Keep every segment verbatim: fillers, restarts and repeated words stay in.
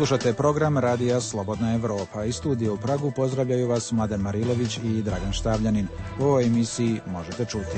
Slušate program Radija Slobodna Evropa. Iz studija u Pragu pozdravljaju vas Mladen Marilović i Dragan Štavljanin. U ovoj emisiji možete čuti: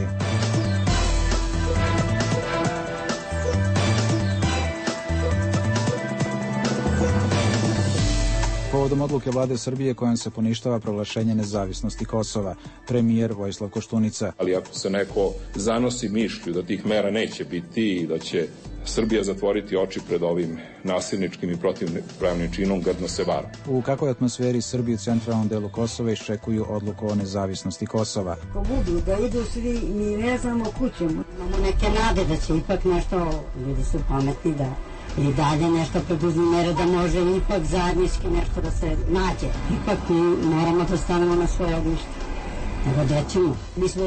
povodom odluke vlade Srbije kojom se poništava proglašenje nezavisnosti Kosova, premijer Vojislav Koštunica. Ali ako se neko zanosi mišlju da tih mera neće biti i da će Srbija zatvoriti oči pred ovim nasilničkim i protivpravnim činom, grdno se vara. U kakvoj atmosferi Srbi u centralnom delu Kosova iščekuju odluku o nezavisnosti Kosova? Ko budu da idu svi, mi ne znamo kućemo. Imamo neke nade da će ipak nešto, ljudi su pametni, da i dalje nešto preduzmi mere da može ipak zajednički nešto da se nađe. Ipak mi moramo da stanemo na svoje ognjište. Nego da ćemo. Mi smo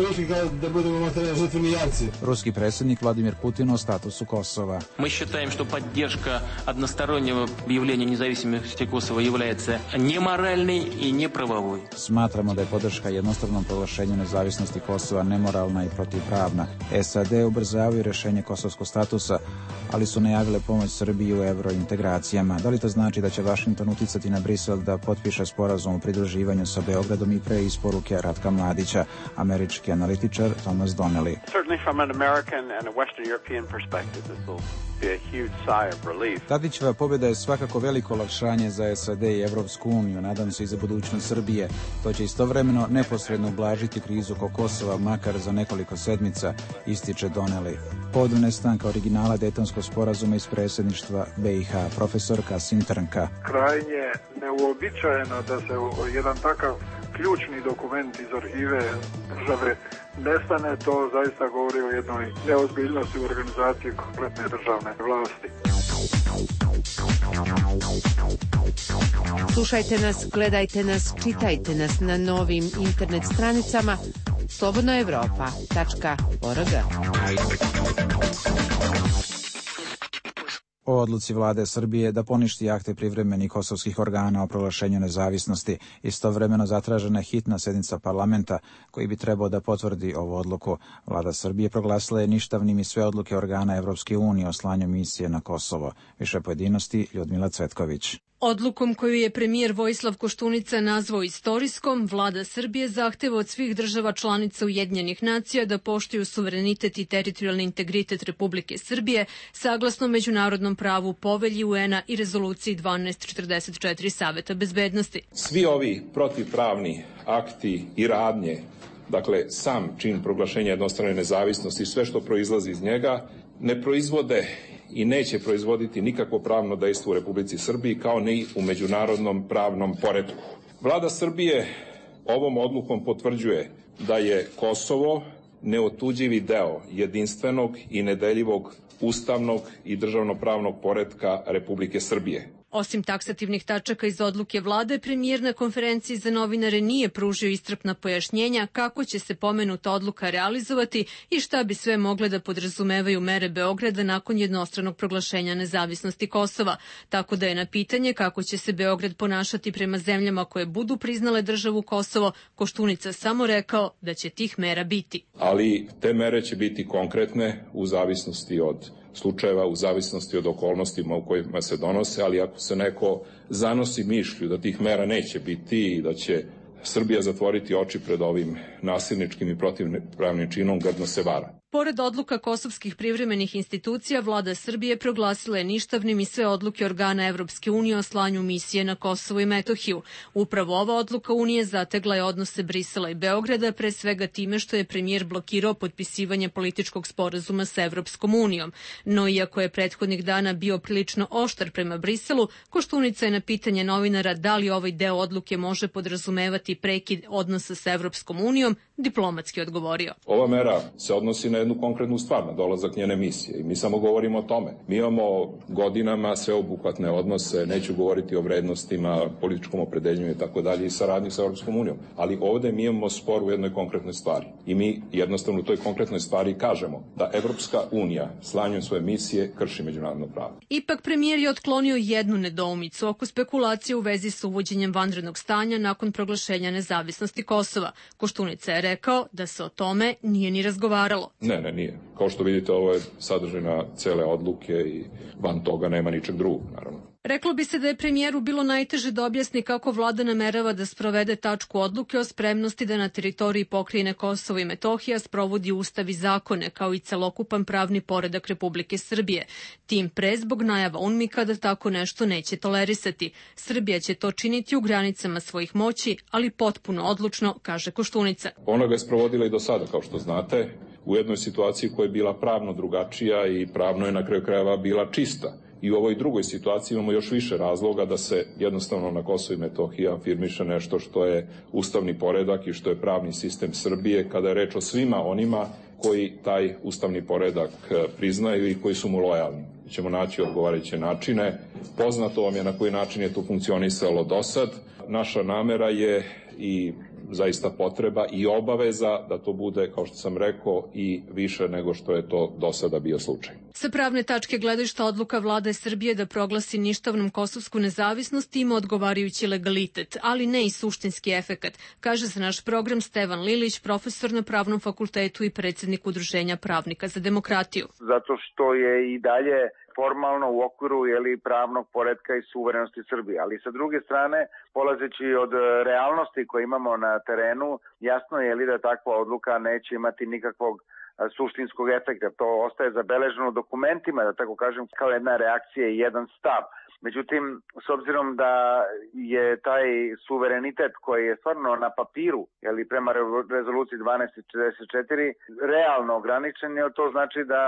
rekli da budemo materijalni žrtveni jarci. Ruski predsjednik Vladimir Putin o statusu Kosova. Мы считаем, что поддержка одностороннего объявления независимости Косово является неморальной и неправовой. Smatramo da je podrška jednostavnom proglašenju nezavisnosti Kosova nemoralna i protivpravna. S A D ubrzavaju rješenje kosovskog statusa, ali su najavile pomoć Srbiji u eurointegracijama. Da li to znači da će Vašington uticati na Brisel da potpiše sporazum o pridruživanju sa Beogradom i pre isporuke Ratka Mladića, američki analitičar Thomas Donnelly? Tadićeva pobjeda je svakako veliko olakšanje za S A D i Evropsku uniju, nadam se i za budućnost Srbije. To će istovremeno neposredno ublažiti krizu oko Kosova, makar za nekoliko sedmica, ističe Donnelly. Povodom nestanka originala Dejtonskog sporazuma iz predsjedništva B i H, profesor Kasim Trnka. Krajnje neuobičajeno da se jedan takav ključni dokument iz arhive države nestane, to zaista govori o jednoj neozbiljnosti u organizaciji kompletne državne vlasti. Slušajte nas, gledajte nas, čitajte nas na novim internet stranicama slobodna evropa tačka org. O odluci vlade Srbije da poništi akte privremenih kosovskih organa o proglašenju nezavisnosti, istovremeno zatražena je hitna sednica parlamenta koji bi trebao da potvrdi ovu odluku. Vlada Srbije proglasila je ništavnim i sve odluke organa Evropske unije o slanju misije na Kosovo. Više pojedinosti Ljudmila Cvetković. Odlukom koju je premijer Vojislav Koštunica nazvao istorijskom, vlada Srbije zahteva od svih država članica Ujedinjenih nacija da poštuju suverenitet i teritorijalni integritet Republike Srbije saglasno međunarodnom pravu, Povelji U N-a i rezoluciji dvanaest četrdeset četiri Saveta bezbednosti. Svi ovi protivpravni akti i radnje, dakle sam čin proglašenja jednostrane nezavisnosti i sve što proizlazi iz njega, ne proizvode i neće proizvoditi nikakvo pravno dejstvo u Republici Srbiji, kao ni u međunarodnom pravnom poretku. Vlada Srbije ovom odlukom potvrđuje da je Kosovo neotuđivi deo jedinstvenog i nedeljivog ustavnog i državnopravnog poretka Republike Srbije. Osim taksativnih tačaka iz odluke vlade, premijer na konferenciji za novinare nije pružio iscrpna pojašnjenja kako će se pomenuta odluka realizovati i šta bi sve mogle da podrazumevaju mere Beograda nakon jednostranog proglašenja nezavisnosti Kosova. Tako da je na pitanje kako će se Beograd ponašati prema zemljama koje budu priznale državu Kosovo, Koštunica samo rekao da će tih mera biti. Ali te mere će biti konkretne u zavisnosti od slučajeva, u zavisnosti od okolnostima u kojima se donose, ali ako se neko zanosi mišlju da tih mera neće biti i da će Srbija zatvoriti oči pred ovim nasilničkim i protivpravnim činom, grdno se vara. Pored odluka kosovskih privremenih institucija, vlada Srbije proglasila je ništavnim i sve odluke organa Evropske unije o slanju misije na Kosovo i Metohiju. Upravo ova odluka Unije zategla je odnose Brisela i Beograda, pre svega time što je premijer blokirao potpisivanje političkog sporazuma sa Evropskom unijom. No iako je prethodnih dana bio prilično oštar prema Briselu, Koštunica je na pitanje novinara da li ovaj deo odluke može podrazumevati prekid odnosa sa Evropskom unijom, diplomatski odgovorio. Ova mera se odnosi na jednu konkretnu stvar, na dolazak njene misije, i mi samo govorimo o tome. Mi imamo godinama sveobuhvatne odnose, neću govoriti o vrednostima, političkom opredeljenju i tako dalje i saradnji sa Evropskom unijom, ali ovde mi imamo spor u jednoj konkretnoj stvari i mi jednostavno u toj konkretnoj stvari kažemo da Evropska unija slanjem svoje misije krši međunarodno pravo. Ipak premijer je otklonio jednu nedoumicu oko spekulacije u vezi sa uvođenjem vanrednog stanja nakon proglašenja nezavisnosti Kosova. Koštunica je rekao da se o tome nije ni razgovaralo. Ne, ne, nije. Kao što vidite, ovo je sadržina cele odluke i van toga nema ničeg drugog, naravno. Reklo bi se da je premijeru bilo najteže da objasni kako vlada namerava da sprovede tačku odluke o spremnosti da na teritoriji pokrajine Kosovo i Metohija sprovodi ustav i zakone, kao i celokupan pravni poredak Republike Srbije. Tim pre zbog najava UNMIK-a da tako nešto neće tolerisati. Srbija će to činiti u granicama svojih moći, ali potpuno odlučno, kaže Koštunica. Ona ga je sprovodila i do sada, kao što znate, u jednoj situaciji koja je bila pravno drugačija i pravno je na kraju krajeva bila čista. I u ovoj drugoj situaciji imamo još više razloga da se jednostavno na Kosovo i Metohiji afirmiše nešto što je ustavni poredak i što je pravni sistem Srbije, kada je reč o svima onima koji taj ustavni poredak priznaju i koji su mu lojalni. Ćemo naći odgovarajuće načine. Poznato vam je na koji način je to funkcionisalo do sad. Naša namera je i zaista potreba i obaveza da to bude, kao što sam rekao, i više nego što je to do sada bio slučaj. Sa pravne tačke gledišta odluka vlade Srbije da proglasi ništavnom kosovsku nezavisnost ima odgovarajući legalitet, ali ne i suštinski efekat, kaže za naš program Stevan Lilić, profesor na Pravnom fakultetu i predsjednik Udruženja pravnika za demokratiju. Zato što je i dalje formalno u okviru jeli, pravnog poretka i suverenosti Srbije. Ali sa druge strane, polazeći od realnosti koje imamo na terenu, jasno je li da takva odluka neće imati nikakvog suštinskog efekta. To ostaje zabeleženo u dokumentima, da tako kažem, kao jedna reakcija i jedan stav. Međutim, s obzirom da je taj suverenitet koji je stvarno na papiru, jeli, prema rezoluciji dvanaest četrdeset četiri, realno ograničen, to znači da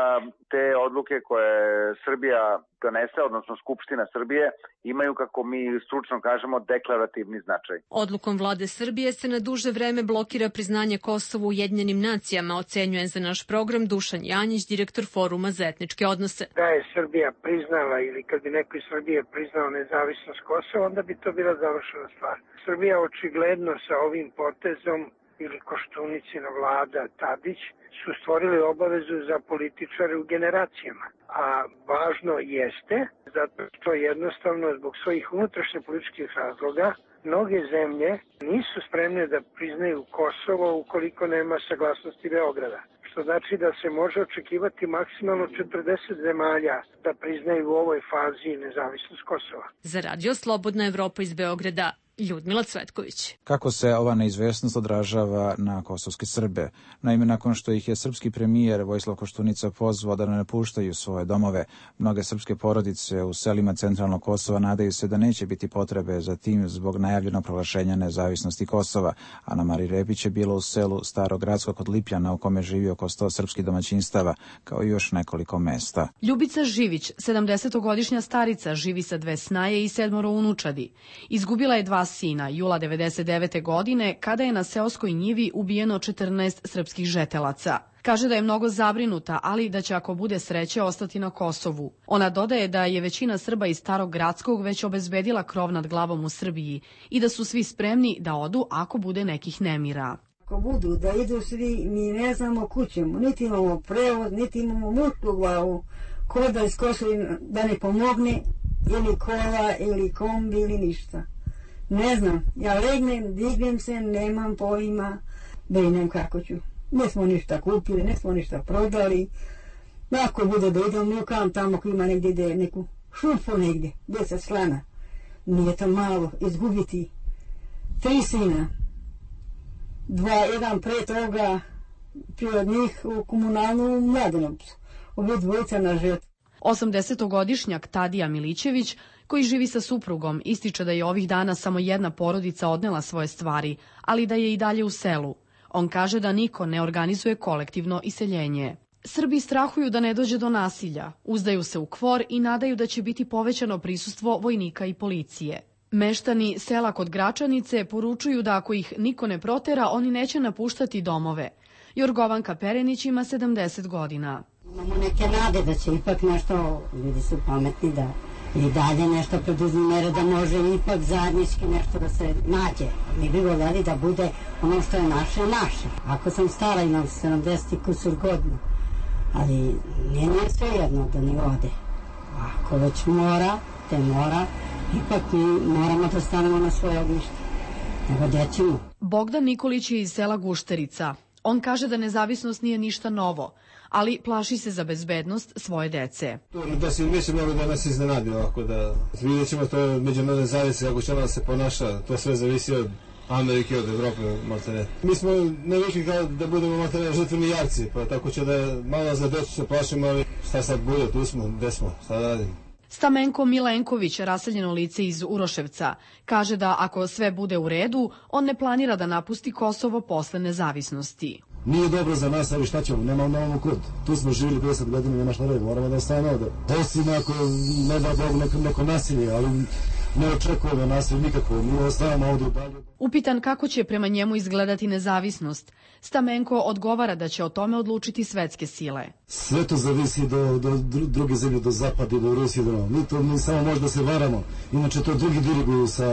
te odluke koje Srbija donese, odnosno Skupština Srbije, imaju, kako mi stručno kažemo, deklarativni značaj. Odlukom vlade Srbije se na duže vreme blokira priznanje Kosovu Ujedinjenim nacijama, ocenjuje za naš program Dušan Janjić, direktor Foruma za etničke odnose. Da je Srbija priznala ili kad bi neko iz Srbije priznao nezavisnost Kosova, onda bi to bila završena stvar. Srbija očigledno sa ovim potezom ili Koštunicina vlada Tadić su stvorili obavezu za političare u generacijama. A važno jeste zato što jednostavno zbog svojih unutrašnjih političkih razloga mnoge zemlje nisu spremne da priznaju Kosovo ukoliko nema saglasnosti Beograda. Što znači da se može očekivati maksimalno četrdeset zemalja da priznaju u ovoj fazi nezavisnost Kosova. Za Radio Slobodna Evropa iz Beograda, Ljudmila Cvetković. Kako se ova neizvesnost odražava na kosovske Srbe? Naime, nakon što ih je srpski premijer Vojislav Koštunica pozvao da ne napuštaju svoje domove, mnoge srpske porodice u selima centralnog Kosova nadaju se da neće biti potrebe za tim zbog najavljenog proglašenja nezavisnosti Kosova. Ana Mari Repić je bila u selu Starogradsko kod Lipljana u kome živi oko sto srpskih domaćinstava, kao i još nekoliko mesta. Ljubica Živić, sedamdesetogodišnja starica, živi sa dve snaje i sedmoro unučadi. Izgubila je dva sina jula devedeset devete. godine kada je na seoskoj njivi ubijeno četrnaest srpskih žetelaca. Kaže da je mnogo zabrinuta, ali da će ako bude sreće ostati na Kosovu. Ona dodaje da je većina Srba iz Starog Gradskog već obezbedila krov nad glavom u Srbiji i da su svi spremni da odu ako bude nekih nemira. Ako budu da idu svi, mi ne znamo kućemo, niti imamo prevoz, niti imamo mutlu glavu, ko da iz Kosova da ne pomogne, ili kola, ili kombi, ili ništa. Ne znam, ja legnem, dignem se, nemam pojma, brinem kako ću. Ne smo ništa kupili, ne smo ništa prodali. Ako bude da idem nukam tamo ko ima negdje gdje neku šupu negdje, deset slana. Nije to malo izgubiti. Tri sina. Dva, jedan pre toga, prije od njih u komunalnu Mladenovcu. Ovi dvojica na žetvu. osamdesetogodišnjak Tadija Milićević, koji živi sa suprugom, ističe da je ovih dana samo jedna porodica odnela svoje stvari, ali da je i dalje u selu. On kaže da niko ne organizuje kolektivno iseljenje. Srbi strahuju da ne dođe do nasilja, uzdaju se u kvor i nadaju da će biti povećano prisustvo vojnika i policije. Meštani sela kod Gračanice poručuju da ako ih niko ne protera, oni neće napuštati domove. Jorgovanka Perenić ima sedamdeset godina. Imamo neke nade da će ipak nešto, ljudi su pametni, da i dalje nešto preduzme mere da može ipak zajednički nešto da se nađe. Mi bi voljeli da bude ono što je naše, naše. Ako sam stara, imam sedamdeset kusur godina, ali nije nije sve jedno da ne ode. Ako već mora, te mora, ipak mi moramo da stanemo na svoje ognjište. Nego gde ćemo? Bogdan Nikolić je iz sela Gušterica. On kaže da nezavisnost nije ništa novo, ali plaši se za bezbednost svoje dece. Da se mislimo da nas iznenadi ovako, da vidjet ćemo to međunarodne zavisnosti, kako će ona se ponaša, to sve zavisi od Amerike, od Evrope, maltene. Mi smo navikli kao da budemo maltene žrtveni jarci, pa tako će da malo za decu se plašimo, ali šta sad bude, tu smo, gde smo, šta da radimo. Stamenko Milenković, raseljeno lice iz Uroševca, kaže da ako sve bude u redu, on ne planira da napusti Kosovo posle nezavisnosti. Nije dobro za nas, ali šta ćemo, nema nemamo kud. Tu smo živjeli deset godina, nema šta redu, moramo da ostavimo ovde. Osim ako ne da Bog neko, neko nasilje, ali ne očekujemo nasilje nikako, mi ostavimo ovde dalje. Upitan kako će prema njemu izgledati nezavisnost, Stamenko odgovara da će o tome odlučiti svetske sile. Sve to zavisi do, do druge zemlje, do Zapada i do Rusije. Do... Mi to mi samo možda se varamo, inače to drugi diriguju sa...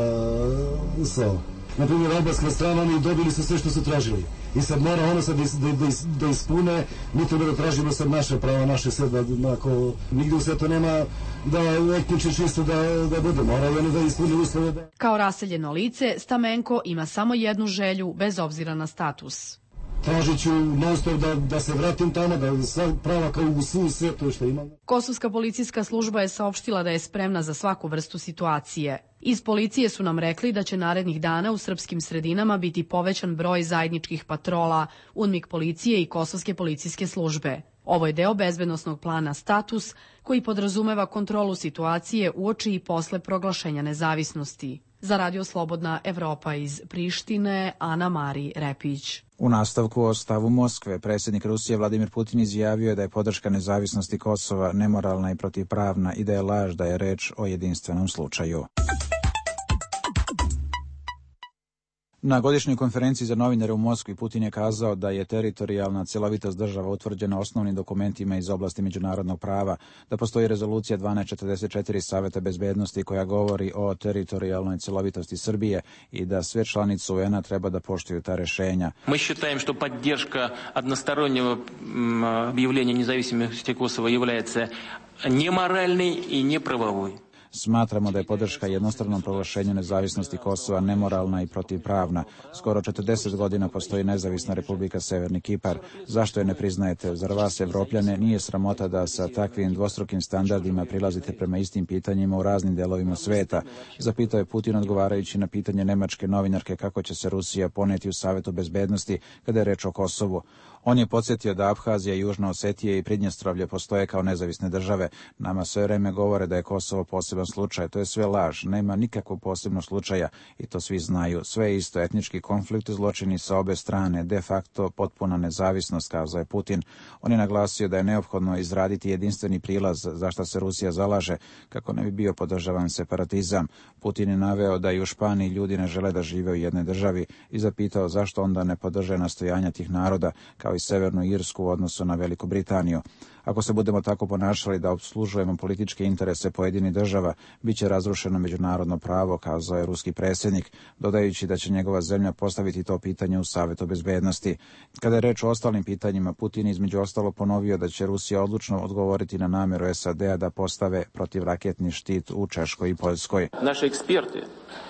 sa... Naprimjer, albanska strana, oni dobili su sve što su tražili. I sad mora ono sad da, da, da ispune, mi treba da tražimo sad naše prava, naše sve, da ako nigde u svetu nema da etnički čisto da, da bude, mora oni da ispune uslove. Da... Kao raseljeno lice, Stamenko ima samo jednu želju, bez obzira na status. Tražit ću non-stop da, da se vratim tamo, da sva prava kao u svu svetu što imamo. Kosovska policijska služba je saopštila da je spremna za svaku vrstu situacije. Iz policije su nam rekli da će narednih dana u srpskim sredinama biti povećan broj zajedničkih patrola, UNMIK policije i Kosovske policijske službe. Ovo je deo bezbednosnog plana Status, koji podrazumeva kontrolu situacije uoči i posle proglašenja nezavisnosti. Za Radio Slobodna Evropa iz Prištine, Ana Mari Repić. U nastavku o stavu Moskve, predsjednik Rusije Vladimir Putin izjavio da je podrška nezavisnosti Kosova nemoralna i protivpravna i da je laž da je reč o jedinstvenom slučaju. Na godišnjoj konferenciji za novinare u Moskvi Putin je kazao da je teritorijalna cjelovitost država utvrđena osnovnim dokumentima iz oblasti međunarodnog prava, da postoji rezolucija dvanaest četrdeset četiri Saveta bezbednosti koja govori o teritorijalnoj cjelovitosti Srbije i da sve članice U N-a treba da poštuju ta rešenja. Mi считаем, что поддержка одностороннего объявления независимости Косово является неморальной и неправовой. Smatramo da je podrška jednostranom proglašenju nezavisnosti Kosova nemoralna i protivpravna. Skoro četrdeset godina postoji nezavisna Republika Severni Kipar. Zašto je ne priznajete? Zar vas, Evropljane, nije sramota da sa takvim dvostrukim standardima prilazite prema istim pitanjima u raznim delovima sveta? Zapitao je Putin odgovarajući na pitanje nemačke novinarke kako će se Rusija poneti u Savetu bezbednosti kada je reč o Kosovu. On je podsjetio da Abhazija, Južna Osetija i Pridnjestrovlje postoje kao nezavisne države. Nama sve vreme govore da je Kosovo poseban slučaj. To je sve laž. Nema nikakvog posebnog slučaja i to svi znaju. Sve je isto, etnički konflikt, zločini sa obe strane, de facto potpuna nezavisnost, kazao je Putin. On je naglasio da je neophodno izraditi jedinstveni prilaz za što se Rusija zalaže kako ne bi bio podržavan separatizam. Putin je naveo da i u Španiji ljudi ne žele da žive u jednoj državi i zapitao zašto onda ne podrže nastojanja tih naroda kao i Severnu Irsku u odnosu na Veliku Britaniju. Ako se budemo tako ponašali da opslužujemo političke interese pojedinih država, bit će razrušeno međunarodno pravo, kazao je ruski predsjednik, dodajući da će njegova zemlja postaviti to pitanje u Savetu bezbednosti. Kada je reč o ostalim pitanjima, Putin između ostalo ponovio da će Rusija odlučno odgovoriti na namjeru S A D-a da postave protivraketni štit u Češkoj i Poljskoj. Naši eksperti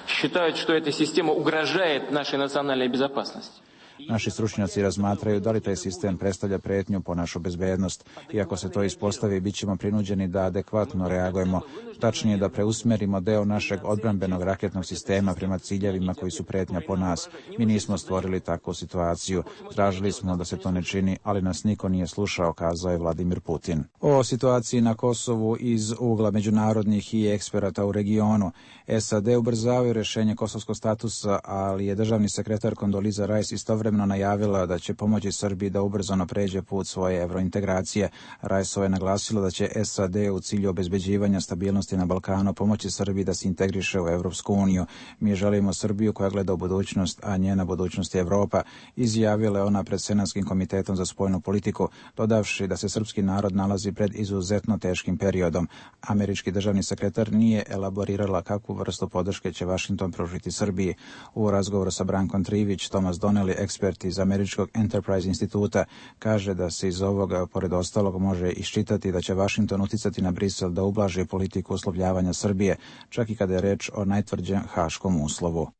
считают, что эта система угрожает нашей национальной безопасности. Naši stručnjaci razmatraju da li taj sistem predstavlja pretnju po našu bezbednost i ako se to ispostavi, bit ćemo prinuđeni da adekvatno reagujemo, tačnije da preusmerimo deo našeg odbrambenog raketnog sistema prema ciljevima koji su pretnja po nas. Mi nismo stvorili takvu situaciju. Tražili smo da se to ne čini, ali nas niko nije slušao, kazao je Vladimir Putin. O situaciji na Kosovu iz ugla međunarodnih i eksperata u regionu. S A D ubrzavaju rešenje kosovskog statusa, ali je državni sekretar Kondoliza Rice istovremeno najavila da će pomoći Srbiji da ubrzano pređe put svoje evrointegracije. Rajsova je naglasila da će S A D u cilju obezbeđivanja stabilnosti na Balkanu pomoći Srbiji da se integriše u Evropsku uniju. Mi želimo Srbiju koja gleda u budućnost, a njena budućnost je Evropa, izjavila je ona pred Senatskim komitetom za spoljnu politiku, dodavši da se srpski narod nalazi pred izuzetno teškim periodom. Američki državni sekretar nije elaborirala kakvu vrstu podrške će Vašington pružiti Srbiji. U razgovoru sa Brankom Trivić, Tomas Donnelly, ekspert iz američkog Enterprise instituta, kaže da se iz ovoga, pored ostalog, može iščitati da će Vašington uticati na Brisel da ublaži politiku uslovljavanja Srbije, čak i kada je reč o najtvrđem haškom uslovu.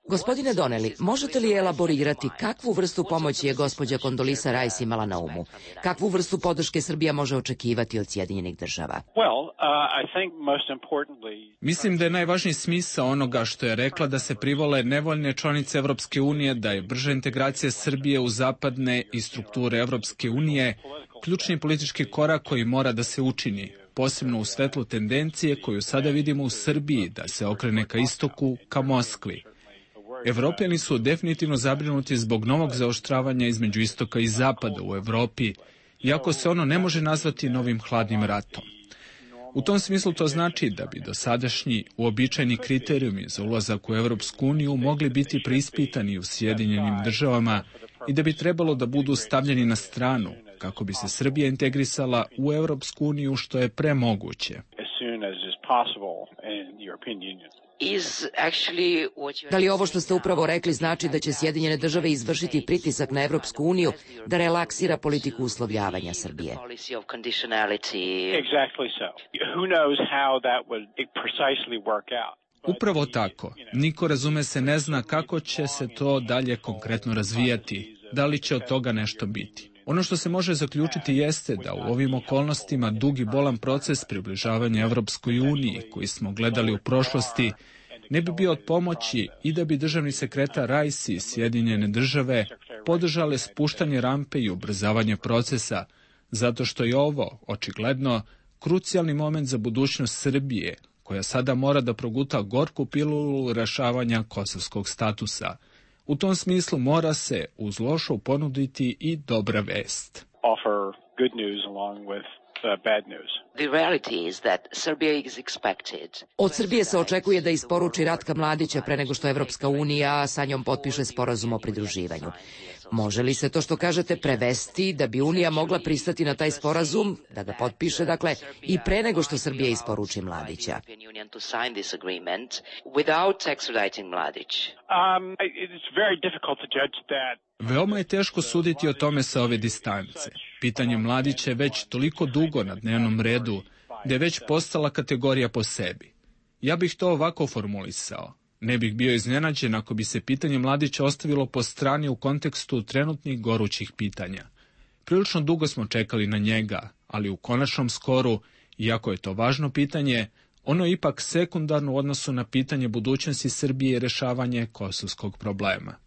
Gospodine Donnelly, možete li elaborirati kakvu vrstu pomoći je gospođa Condoleezza Rice imala na umu? Kakvu vrstu podrške Srbija može očekivati od Sjedinjenih država? Mislim da je najvažniji smisao onoga što je rekla da se privole nevoljne članice Evropske unije, da je brža integracija Srbije u zapadne i strukture Evropske unije ključni politički korak koji mora da se učini, posebno u svetlu tendencije koju sada vidimo u Srbiji da se okrene ka istoku, ka Moskvi. Evropljani su definitivno zabrinuti zbog novog zaoštravanja između istoka i zapada u Evropi, iako se ono ne može nazvati novim hladnim ratom. U tom smislu to znači da bi dosadašnji uobičajeni kriterijumi za ulazak u Evropsku uniju mogli biti preispitani u Sjedinjenim državama i da bi trebalo da budu stavljeni na stranu kako bi se Srbija integrisala u Evropsku uniju što je premoguće. Da li ovo što ste upravo rekli znači da će Sjedinjene države izvršiti pritisak na Evropsku uniju da relaksira politiku uslovljavanja Srbije? Upravo tako. Niko, razume se, ne zna kako će se to dalje konkretno razvijati, da li će od toga nešto biti. Ono što se može zaključiti jeste da u ovim okolnostima dugi bolan proces približavanja Evropskoj uniji, koji smo gledali u prošlosti, ne bi bio od pomoći i da bi državni sekretar Rice i Sjedinjene države podržale spuštanje rampe i ubrzavanje procesa, zato što je ovo, očigledno, krucijalni moment za budućnost Srbije, koja sada mora da proguta gorku pilulu rešavanja kosovskog statusa. U tom smislu mora se uz lošu ponuditi i dobra vest. Od Srbije se očekuje da isporuči Ratka Mladića pre nego što Evropska unija sa njom potpiše sporazum o pridruživanju. Može li se to što kažete prevesti da bi Unija mogla pristati na taj sporazum, da ga potpiše, dakle, i pre nego što Srbija isporuči Mladića? Veoma je teško suditi o tome sa ove distance. Pitanje Mladića je već toliko dugo na dnevnom redu da je već postala kategorija po sebi. Ja bih to ovako formulisao. Ne bih bio iznenađen ako bi se pitanje Mladića ostavilo po strani u kontekstu trenutnih gorućih pitanja. Prilično dugo smo čekali na njega, ali u konačnom skoru, iako je to važno pitanje, ono je ipak sekundarno u odnosu na pitanje budućnosti Srbije i rešavanje kosovskog problema.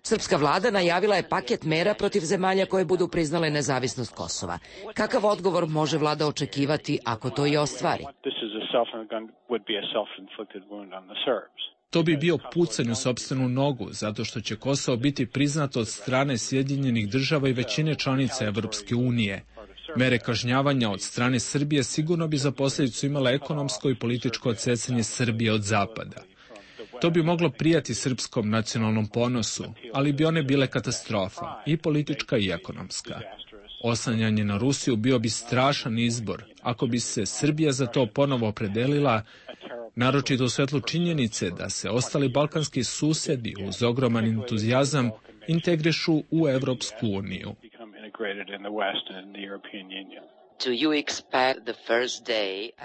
Srpska vlada najavila je paket mera protiv zemalja koje budu priznale nezavisnost Kosova. Kakav odgovor može vlada očekivati ako to i ostvari? To bi bio pucanj u sopstvenu nogu, zato što će Kosovo biti priznato od strane Sjedinjenih država i većine članica Evropske unije. Mere kažnjavanja od strane Srbije sigurno bi za posljedicu imala ekonomsko i političko odsecanje Srbije od zapada. To bi moglo prijati srpskom nacionalnom ponosu, ali bi one bile katastrofa, i politička i ekonomska. Oslanjanje na Rusiju bio bi strašan izbor, ako bi se Srbija za to ponovo opredelila, naročito u svetlu činjenice da se ostali balkanski susedi uz ogroman entuzijazam integrišu u Evropsku uniju.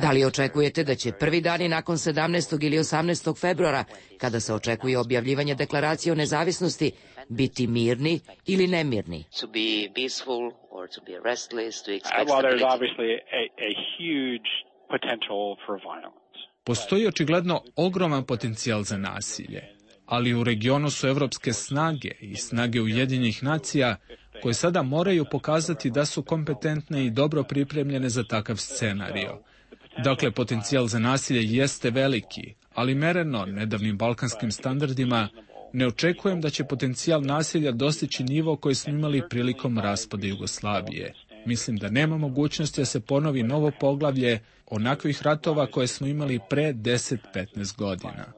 Da li očekujete da će prvi dani nakon sedamnaestog ili osamnaestog februara, kada se očekuje objavljivanje deklaracije o nezavisnosti, biti mirni ili nemirni? Postoji očigledno ogroman potencijal za nasilje, ali u regionu su evropske snage i snage Ujedinjenih nacija koje sada moraju pokazati da su kompetentne i dobro pripremljene za takav scenario. Dakle, potencijal za nasilje jeste veliki, ali mereno nedavnim balkanskim standardima ne očekujem da će potencijal nasilja dostići nivo koji smo imali prilikom raspada Jugoslavije. Mislim da nema mogućnosti da se ponovi novo poglavlje onakvih ratova koje smo imali pre deset do petnaest godina.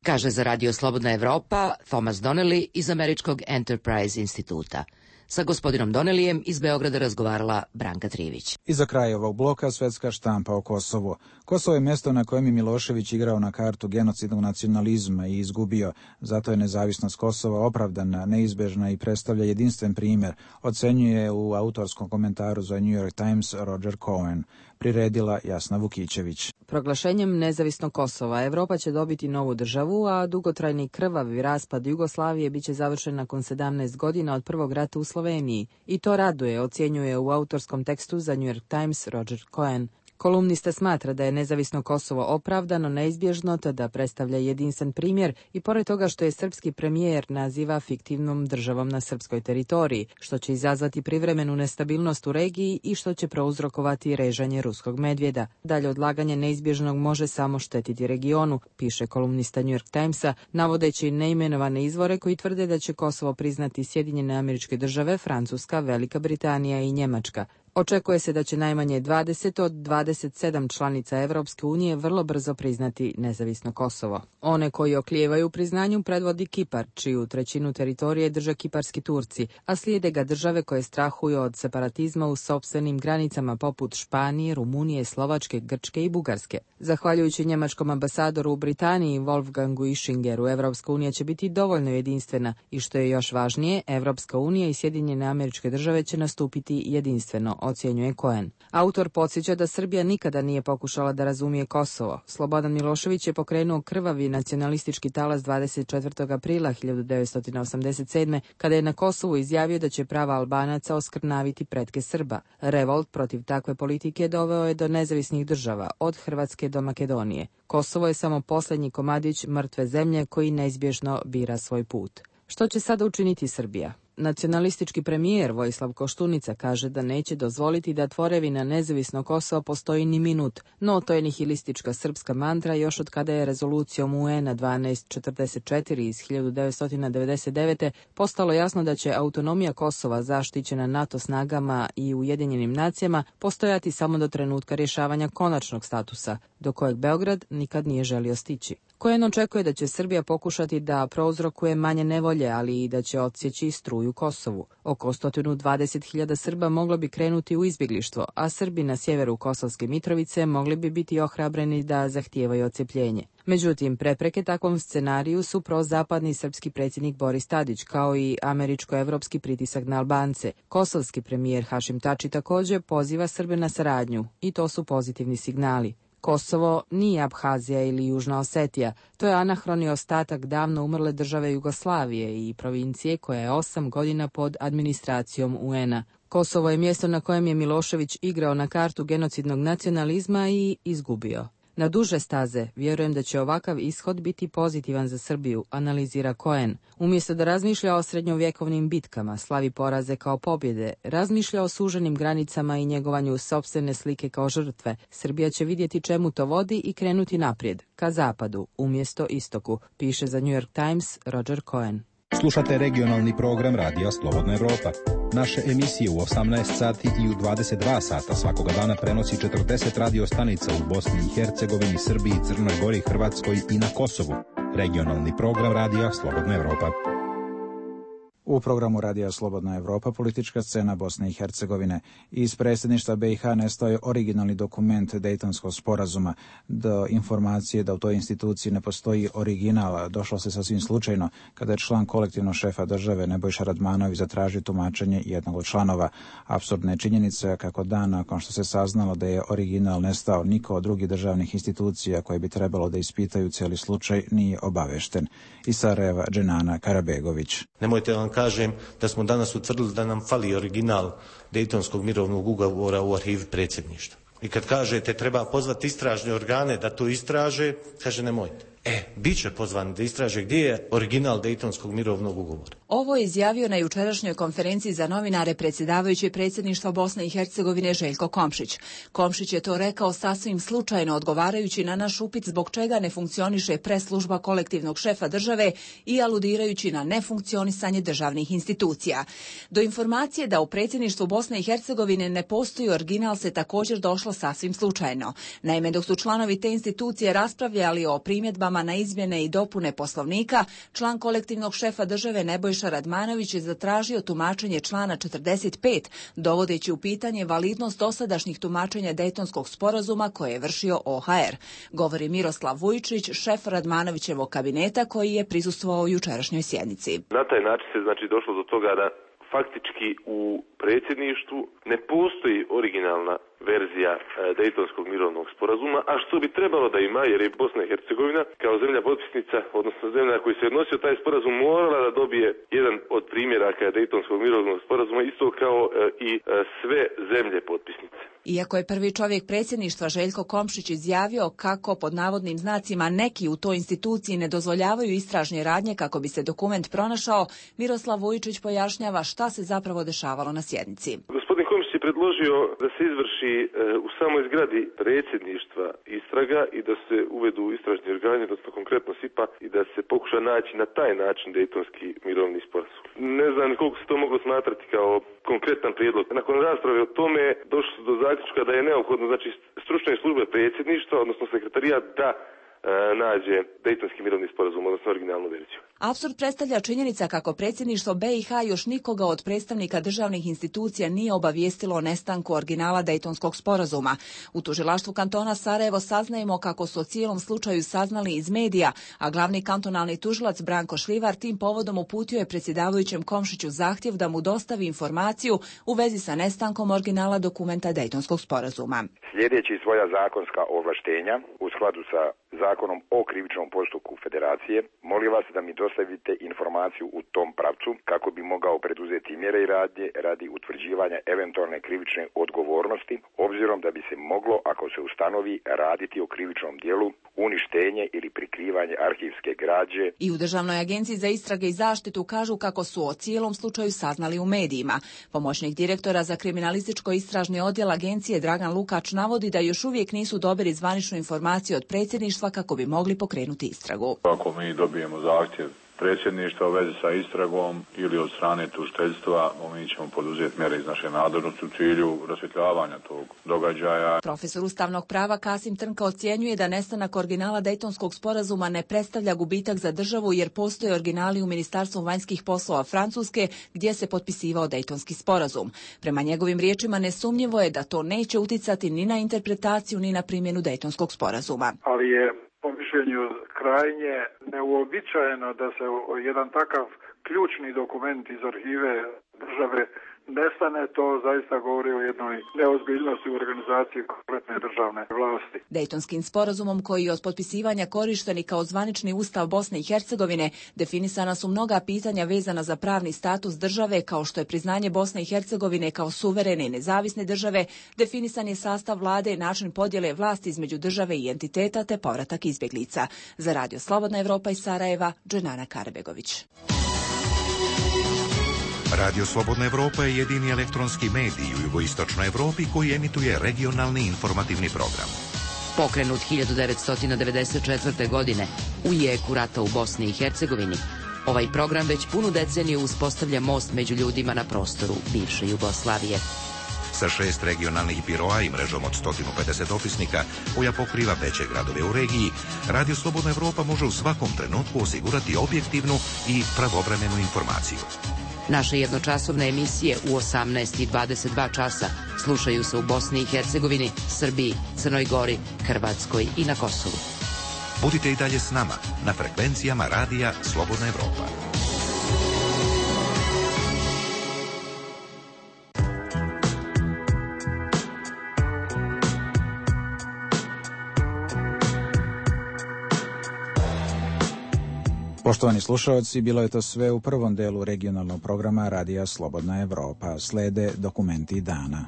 Kaže za Radio Slobodna Evropa Thomas Donnelly iz američkog Enterprise instituta. Sa gospodinom Donelijem iz Beograda razgovarala Branka Trivić. I za kraj ovog bloka svetska štampa o Kosovu. Kosovo je mjesto na kojem je Milošević igrao na kartu genocidnog nacionalizma i izgubio. Zato je nezavisnost Kosova opravdana, neizbežna i predstavlja jedinstven primjer, ocenjuje u autorskom komentaru za New York Times Roger Cohen. Priredila Jasna Vukićević. Proglašenjem nezavisnog Kosova Evropa će dobiti novu državu, a dugotrajni krvavi raspad Jugoslavije biće završen nakon sedamnaest godina od prvog rata u Sloveniji. I to raduje, ocjenjuje u autorskom tekstu za New York Times Roger Cohen. Kolumnista smatra da je nezavisno Kosovo opravdano, neizbježno, te da predstavlja jedinstven primjer i pored toga što je srpski premijer naziva fiktivnom državom na srpskoj teritoriji, što će izazvati privremenu nestabilnost u regiji i što će prouzrokovati režanje ruskog medvjeda. Dalje odlaganje neizbježnog može samo štetiti regionu, piše kolumnista New York Timesa, navodeći neimenovane izvore koji tvrde da će Kosovo priznati Sjedinjene Američke Države, Francuska, Velika Britanija i Njemačka. Očekuje se da će najmanje dvadeset od dvadeset sedam članica Evropske unije vrlo brzo priznati nezavisno Kosovo. One koji oklijevaju u priznanju predvodi Kipar, čiju trećinu teritorije drže kiparski Turci, a slijede ga države koje strahuju od separatizma u sopstvenim granicama poput Španije, Rumunije, Slovačke, Grčke i Bugarske. Zahvaljujući njemačkom ambasadoru u Britaniji Wolfgangu Ischingeru, Evropska unija će biti dovoljno jedinstvena i što je još važnije, Evropska unija i Sjedinjene Američke Države će nastupiti jedinstveno, ocjenjuje Cohen. Autor podsjeća da Srbija nikada nije pokušala da razumije Kosovo. Slobodan Milošević je pokrenuo krvavi nacionalistički talas dvadeset četvrtog aprila hiljadu devetsto osamdeset sedme. kada je na Kosovu izjavio da će prava Albanaca oskrnaviti pretke Srba. Revolt protiv takve politike doveo je do nezavisnih država, od Hrvatske do Makedonije. Kosovo je samo posljednji komadić mrtve zemlje koji neizbježno bira svoj put. Što će sada učiniti Srbija? Nacionalistički premijer Vojislav Koštunica kaže da neće dozvoliti da tvorevina nezavisno Kosovo postoji ni minut, no to je nihilistička srpska mantra još od kada je rezolucijom U N-a dvanaest četrdeset četiri iz hiljadu devetsto devedeset devete. postalo jasno da će autonomija Kosova zaštićena NATO snagama i Ujedinjenim nacijama postojati samo do trenutka rješavanja konačnog statusa, do kojeg Beograd nikad nije želio stići. Cohen očekuje da će Srbija pokušati da prouzrokuje manje nevolje, ali i da će odsjeći struju Kosovu. Oko sto dvadeset hiljada Srba moglo bi krenuti u izbjeglištvo, a Srbi na sjeveru Kosovske Mitrovice mogli bi biti ohrabreni da zahtijevaju odcjepljenje. Međutim, prepreke takvom scenariju su prozapadni srpski predsjednik Boris Tadić, kao i američko-evropski pritisak na Albance. Kosovski premijer Hašim Tači također poziva Srbe na saradnju, i to su pozitivni signali. Kosovo nije Abhazija ili Južna Osetija, to je anahroni ostatak davno umrle države Jugoslavije i provincije koja je osam godina pod administracijom U N-a. Kosovo je mjesto na kojem je Milošević igrao na kartu genocidnog nacionalizma i izgubio. Na duže staze vjerujem da će ovakav ishod biti pozitivan za Srbiju, analizira Cohen. Umjesto da razmišlja o srednjovjekovnim bitkama, slavi poraze kao pobjede, razmišlja o suženim granicama i njegovanju sopstvene slike kao žrtve. Srbija će vidjeti čemu to vodi i krenuti naprijed, ka zapadu, umjesto istoku, piše za New York Times Roger Cohen. Slušate regionalni program Radija Slobodna Evropa. Naše emisije u osamnaest sati i u dvadeset dva sata svakoga dana prenosi četrdeset radio stanica u Bosni i Hercegovini, Srbiji, Crnoj Gori, Hrvatskoj i na Kosovu. Regionalni program Radija Slobodna Evropa. U programu Radija Slobodna Evropa politička scena Bosne i Hercegovine. Iz predsjedništva B i H nestao je originalni dokument Dejtonskog sporazuma. Do informacije da u toj instituciji ne postoji original došlo se sasvim slučajno kada je član kolektivnog šefa države Nebojša Radmanović zatražio tumačenje jednog od članova. Apsurdna je činjenica kako dan nakon što se saznalo da je original nestao, niko od drugih državnih institucija koje bi trebalo da ispitaju cijeli slučaj nije obavešten. Iz Sarajeva Dženana Karabegović. Nemojte vam kažem da smo danas utvrdili da nam fali original Dejtonskog mirovnog ugovora u arhivi predsjedništva. I kad kažete treba pozvati istražne organe da to istraže, kaže nemojte. E, bit će pozvani da istraže gdje je original Dejtonskog mirovnog ugovora. Ovo je izjavio na jučerašnjoj konferenciji za novinare predsjedavajući predsjedništva Bosne i Hercegovine Željko Komšić. Komšić je to rekao sasvim slučajno odgovarajući na naš upit zbog čega ne funkcioniše preslužba kolektivnog šefa države i aludirajući na nefunkcionisanje državnih institucija. Do informacije da u predsjedništvu Bosne i Hercegovine ne postoji original se također došlo sasvim slučajno. Naime, dok su članovi te institucije raspravljali o primjedbama primjedbama na izmjene i dopune Poslovnika, član kolektivnog šefa države Nebojša Radmanović je zatražio tumačenje člana četrdeset pet, dovodeći u pitanje validnost dosadašnjih tumačenja Dejtonskog sporazuma koje je vršio O H R. Govori Miroslav Vujčić, šef Radmanovićevog kabineta koji je prisustvovao jučerašnjoj sjednici. Na taj način se znači došlo do toga da faktički u predsjedništvu ne postoji originalna verzija Dejtonskog mirovnog sporazuma, a što bi trebalo da ima, jer je Bosna i Hercegovina kao zemlja potpisnica, odnosno zemlja na koju se odnosio taj sporazum, morala da dobije jedan od primjeraka Dejtonskog mirovnog sporazuma, isto kao i sve zemlje potpisnice. Iako je prvi čovjek predsjedništva Željko Komšić izjavio kako pod navodnim znacima neki u toj instituciji ne dozvoljavaju istražne radnje kako bi se dokument pronašao, Miroslav Vujčić pojašnjava šta se zapravo dešavalo na sjednici. Gospodin Komšić je predložio da se izvrši u samoj zgradi predsjedništva istraga i da se uvedu istražni organi, odnosno konkretno S I P A, i da se pokuša naći na taj način Dejtonski mirovni sporazum. Ne znam koliko se to moglo smatrati kao konkretan prijedlog. Nakon rasprave o tome došlo se do zaključka da je neophodno, znači, stručne službe predsjedništva, odnosno sekretarijat, da nađe Dejtonski mirovni sporazum, odnosno originalnu verziju. Apsurd predstavlja činjenica kako predsjedništvo B i H još nikoga od predstavnika državnih institucija nije obavijestilo o nestanku originala Dejtonskog sporazuma. U tužilaštvu kantona Sarajevo saznajemo kako su o cijelom slučaju saznali iz medija, a glavni kantonalni tužilac Branko Šljivar tim povodom uputio je predsjedavajućem Komšiću zahtjev da mu dostavi informaciju u vezi sa nestankom originala dokumenta Dejtonskog sporazuma. Sljedeći svoja zakonska ovlaštenja u skladu sa Zakonom o krivičnom postupku Federacije, molim vas da mi dostavite informaciju u tom pravcu kako bi mogao preduzeti mjere i radnje radi utvrđivanja eventualne krivične odgovornosti, obzirom da bi se moglo, ako se ustanovi, raditi o krivičnom dijelu, uništenje ili prikrivanje arhivske građe. I u Državnoj agenciji za istrage i zaštitu kažu kako su o cijelom slučaju saznali u medijima. Pomoćnik direktora za kriminalističko istražni odjel agencije Dragan Lukač navodi da još uvijek nisu dobili zvaničnu informaciju od predsjedništva kako bi mogli pokrenuti istragu. Ako mi dobijemo zahtjev predsjedništva u vezi sa istragom ili od strane tužiteljstva, mi ćemo poduzeti mjere iz naše nadležnosti u cilju rasvjetljavanja tog događaja. Profesor ustavnog prava Kasim Trnka ocjenjuje da nestanak originala Dejtonskog sporazuma ne predstavlja gubitak za državu jer postoje originali u Ministarstvu vanjskih poslova Francuske gdje se potpisivao Dejtonski sporazum. Prema njegovim riječima nesumnjivo je da to neće uticati ni na interpretaciju ni na primjenu Dejtonskog sporazuma. Ali je po mišljenju krajnje neuobičajeno da se jedan takav ključni dokument iz arhive države nestane. To zaista govori o jednoj neozbiljnosti u organizaciji kompletne državne vlasti. Dejtonskim sporazumom koji je od potpisivanja korišten i kao zvanični ustav Bosne i Hercegovine definisana su mnoga pitanja vezana za pravni status države kao što je priznanje Bosne i Hercegovine kao suverene i nezavisne države, definisan je sastav vlade, način podjele vlasti između države i entiteta te povratak izbjeglica. Za Radio Slobodna Evropa iz Sarajeva, Dženana Karbegović. Radio Slobodna Evropa je jedini elektronski medij u jugoistočnoj Evropi koji emituje regionalni informativni program. Pokrenut hiljadu devetsto devedeset četvrte. godine u jeku rata u Bosni i Hercegovini, ovaj program već punu deceniju uspostavlja most među ljudima na prostoru bivše Jugoslavije. Sa šest regionalnih biroa i mrežom od sto pedeset opisnika koja pokriva veće gradove u regiji, Radio Slobodna Evropa može u svakom trenutku osigurati objektivnu i pravovremenu informaciju. Naše jednočasovne emisije u osamnaest i dvadeset dva časa slušaju se u Bosni i Hercegovini, Srbiji, Crnoj Gori, Hrvatskoj i na Kosovu. Budite i dalje s nama na frekvencijama Radija Slobodna Evropa. Poštovani slušalci, bilo je to sve u prvom delu regionalnog programa Radija Slobodna Evropa. Slede dokumenti dana.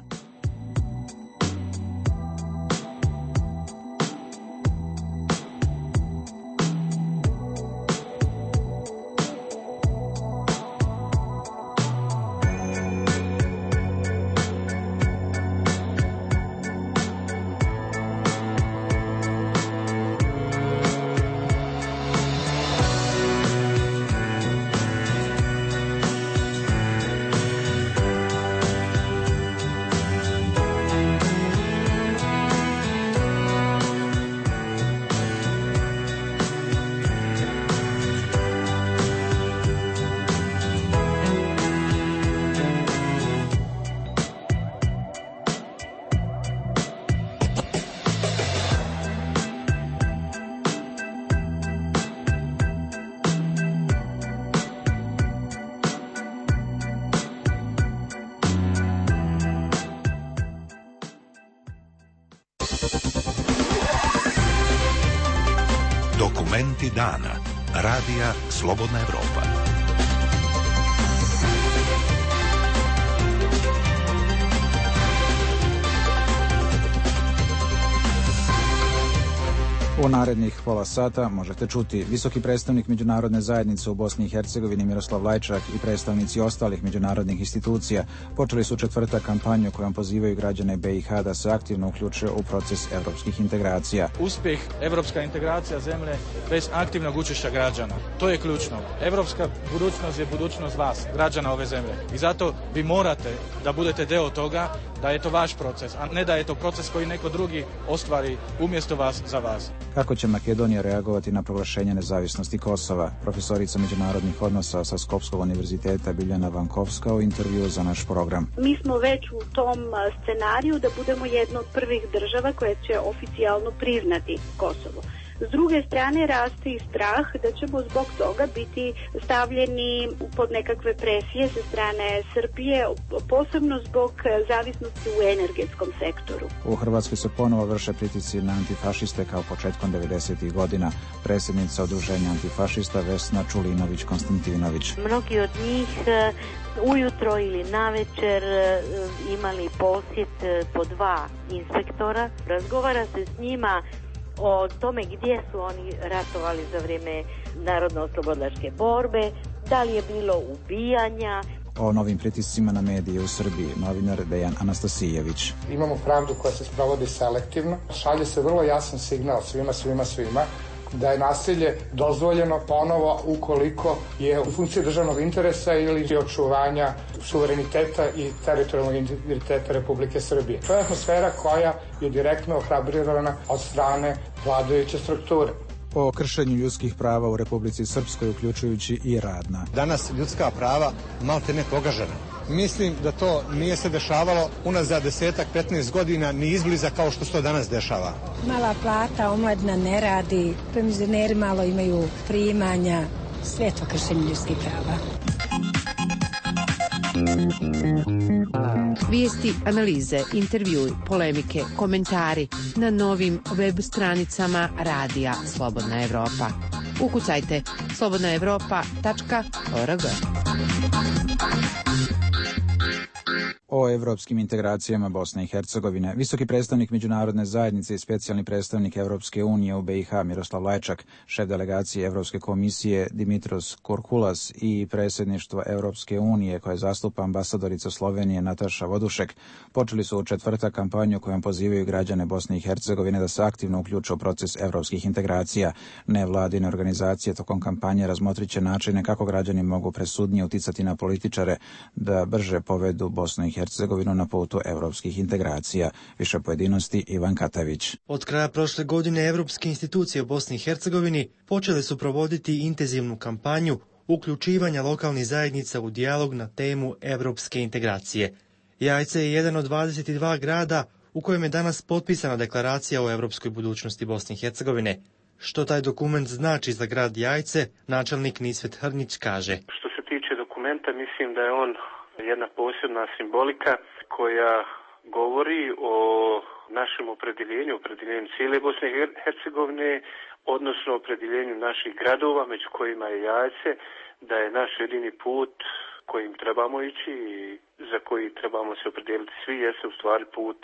Dokumenti dana. Radija Slobodna Evropa. U narednih pola sata možete čuti visoki predstavnik međunarodne zajednice u Bosni i Hercegovini Miroslav Lajčak i predstavnici ostalih međunarodnih institucija počeli su četvrtak kampanju kojom pozivaju građane B i H da se aktivno uključe u proces evropskih integracija. Uspjeh evropska integracija zemlje bez aktivnog učešća građana. To je ključno. Evropska budućnost je budućnost vas, građana ove zemlje. I zato vi morate da budete deo toga, da je to vaš proces, a ne da je to proces koji neko drugi ostvari umjesto vas za vas. Kako će Makedonija reagovati na proglašenje nezavisnosti Kosova? Profesorica međunarodnih odnosa sa Skopskog univerziteta Biljana Vankovska u intervju za naš program. Mi smo već u tom scenariju da budemo jedna od prvih država koja će oficijalno priznati Kosovo. S druge strane raste i strah da ćemo zbog toga biti stavljeni pod nekakve presije sa strane Srbije, posebno zbog zavisnosti u energetskom sektoru. U Hrvatskoj se ponovo vrše pritisci na antifašiste kao početkom devedesetih godina. Predsjednica udruženja antifašista Vesna Čulinović-Konstantinović. Mnogi od njih ujutro ili navečer imali posjet po dva inspektora. Razgovara se s njima o tome gdje su oni ratovali za vrijeme narodno-oslobodilačke borbe, da li je bilo ubijanja. O novim pritiscima na medije u Srbiji, novinar Dejan Anastasijević. Imamo pravdu koja se sprovodi selektivno. Šalje se vrlo jasan signal svima, svima, svima da je nasilje dozvoljeno ponovo ukoliko je u funkciji državnog interesa ili očuvanja suvereniteta i teritorijalnog integriteta Republike Srbije. To je atmosfera koja je direktno ohrabrirana od strane vladajuće strukture. O kršenju ljudskih prava u Republici Srpskoj, uključujući i radna. Danas ljudska prava malte ne pogažena. Mislim da to nije se dešavalo unazad desetak, petnaest godina ni izbliza kao što se to danas dešava. Mala plata, omladina ne radi, penzioneri malo imaju primanja, sve to kršenje ljudskih prava. Vijesti, analize, intervjui, polemike, komentari na novim web stranicama Radija Slobodna Evropa. Ukucajte slobodna evropa tačka org. O evropskim integracijama Bosne i Hercegovine. Visoki predstavnik međunarodne zajednice i specijalni predstavnik Evropske unije u B i H Miroslav Lajčak, šef delegacije Evropske komisije Dimitros Korkulas i predsjedništvo Evropske unije koje zastupa ambasadorica Slovenije Nataša Vodušek počeli su u četvrtak kampanju kojom pozivaju građane Bosne i Hercegovine da se aktivno uključe u proces evropskih integracija. Nevladine organizacije tokom kampanje razmotriće načine kako građani mogu presudnije uticati na političare da brže povedu Bosnu i Hercegovinu na putu evropskih integracija. Više pojedinosti Ivan Katavić. Od kraja prošle godine evropske institucije u Bosni i Hercegovini počele su provoditi intenzivnu kampanju uključivanja lokalnih zajednica u dijalog na temu evropske integracije. Jajce je jedan od dvadeset dva grada u kojem je danas potpisana deklaracija o evropskoj budućnosti Bosne i Hercegovine. Što taj dokument znači za grad Jajce, načelnik Nisvet Hrnić kaže. Što se tiče dokumenta, mislim da je on jedna posebna simbolika koja govori o našem opredjeljenju, opredjeljenju cijele Bosne i Hercegovine, odnosno opredjeljenju naših gradova, među kojima je Jajce, da je naš jedini put kojim trebamo ići i za koji trebamo se opredijeliti svi, jeste u stvari put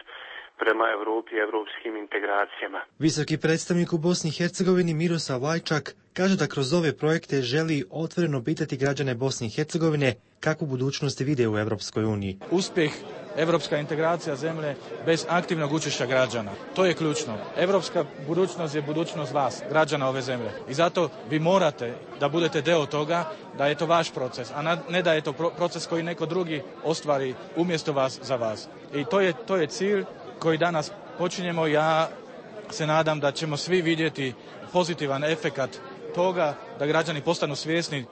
prema Evropi i evropskim integracijama. Visoki predstavnik u Bosni i Hercegovini Miroslav Lajčak kaže da kroz ove projekte želi otvoreno pitati građane Bosne i Hercegovine kakvu budućnost vide u Evropskoj uniji. Uspjeh evropska integracija zemlje bez aktivnog učešća građana. To je ključno. Evropska budućnost je budućnost vas, građana ove zemlje. I zato vi morate da budete deo toga, da je to vaš proces, a ne da je to proces koji neko drugi ostvari umjesto vas za vas. I to je, to je cilj koji danas počinjemo. Ja se nadam da ćemo svi vidjeti pozitivan efekat toga, da građani postanu svjesni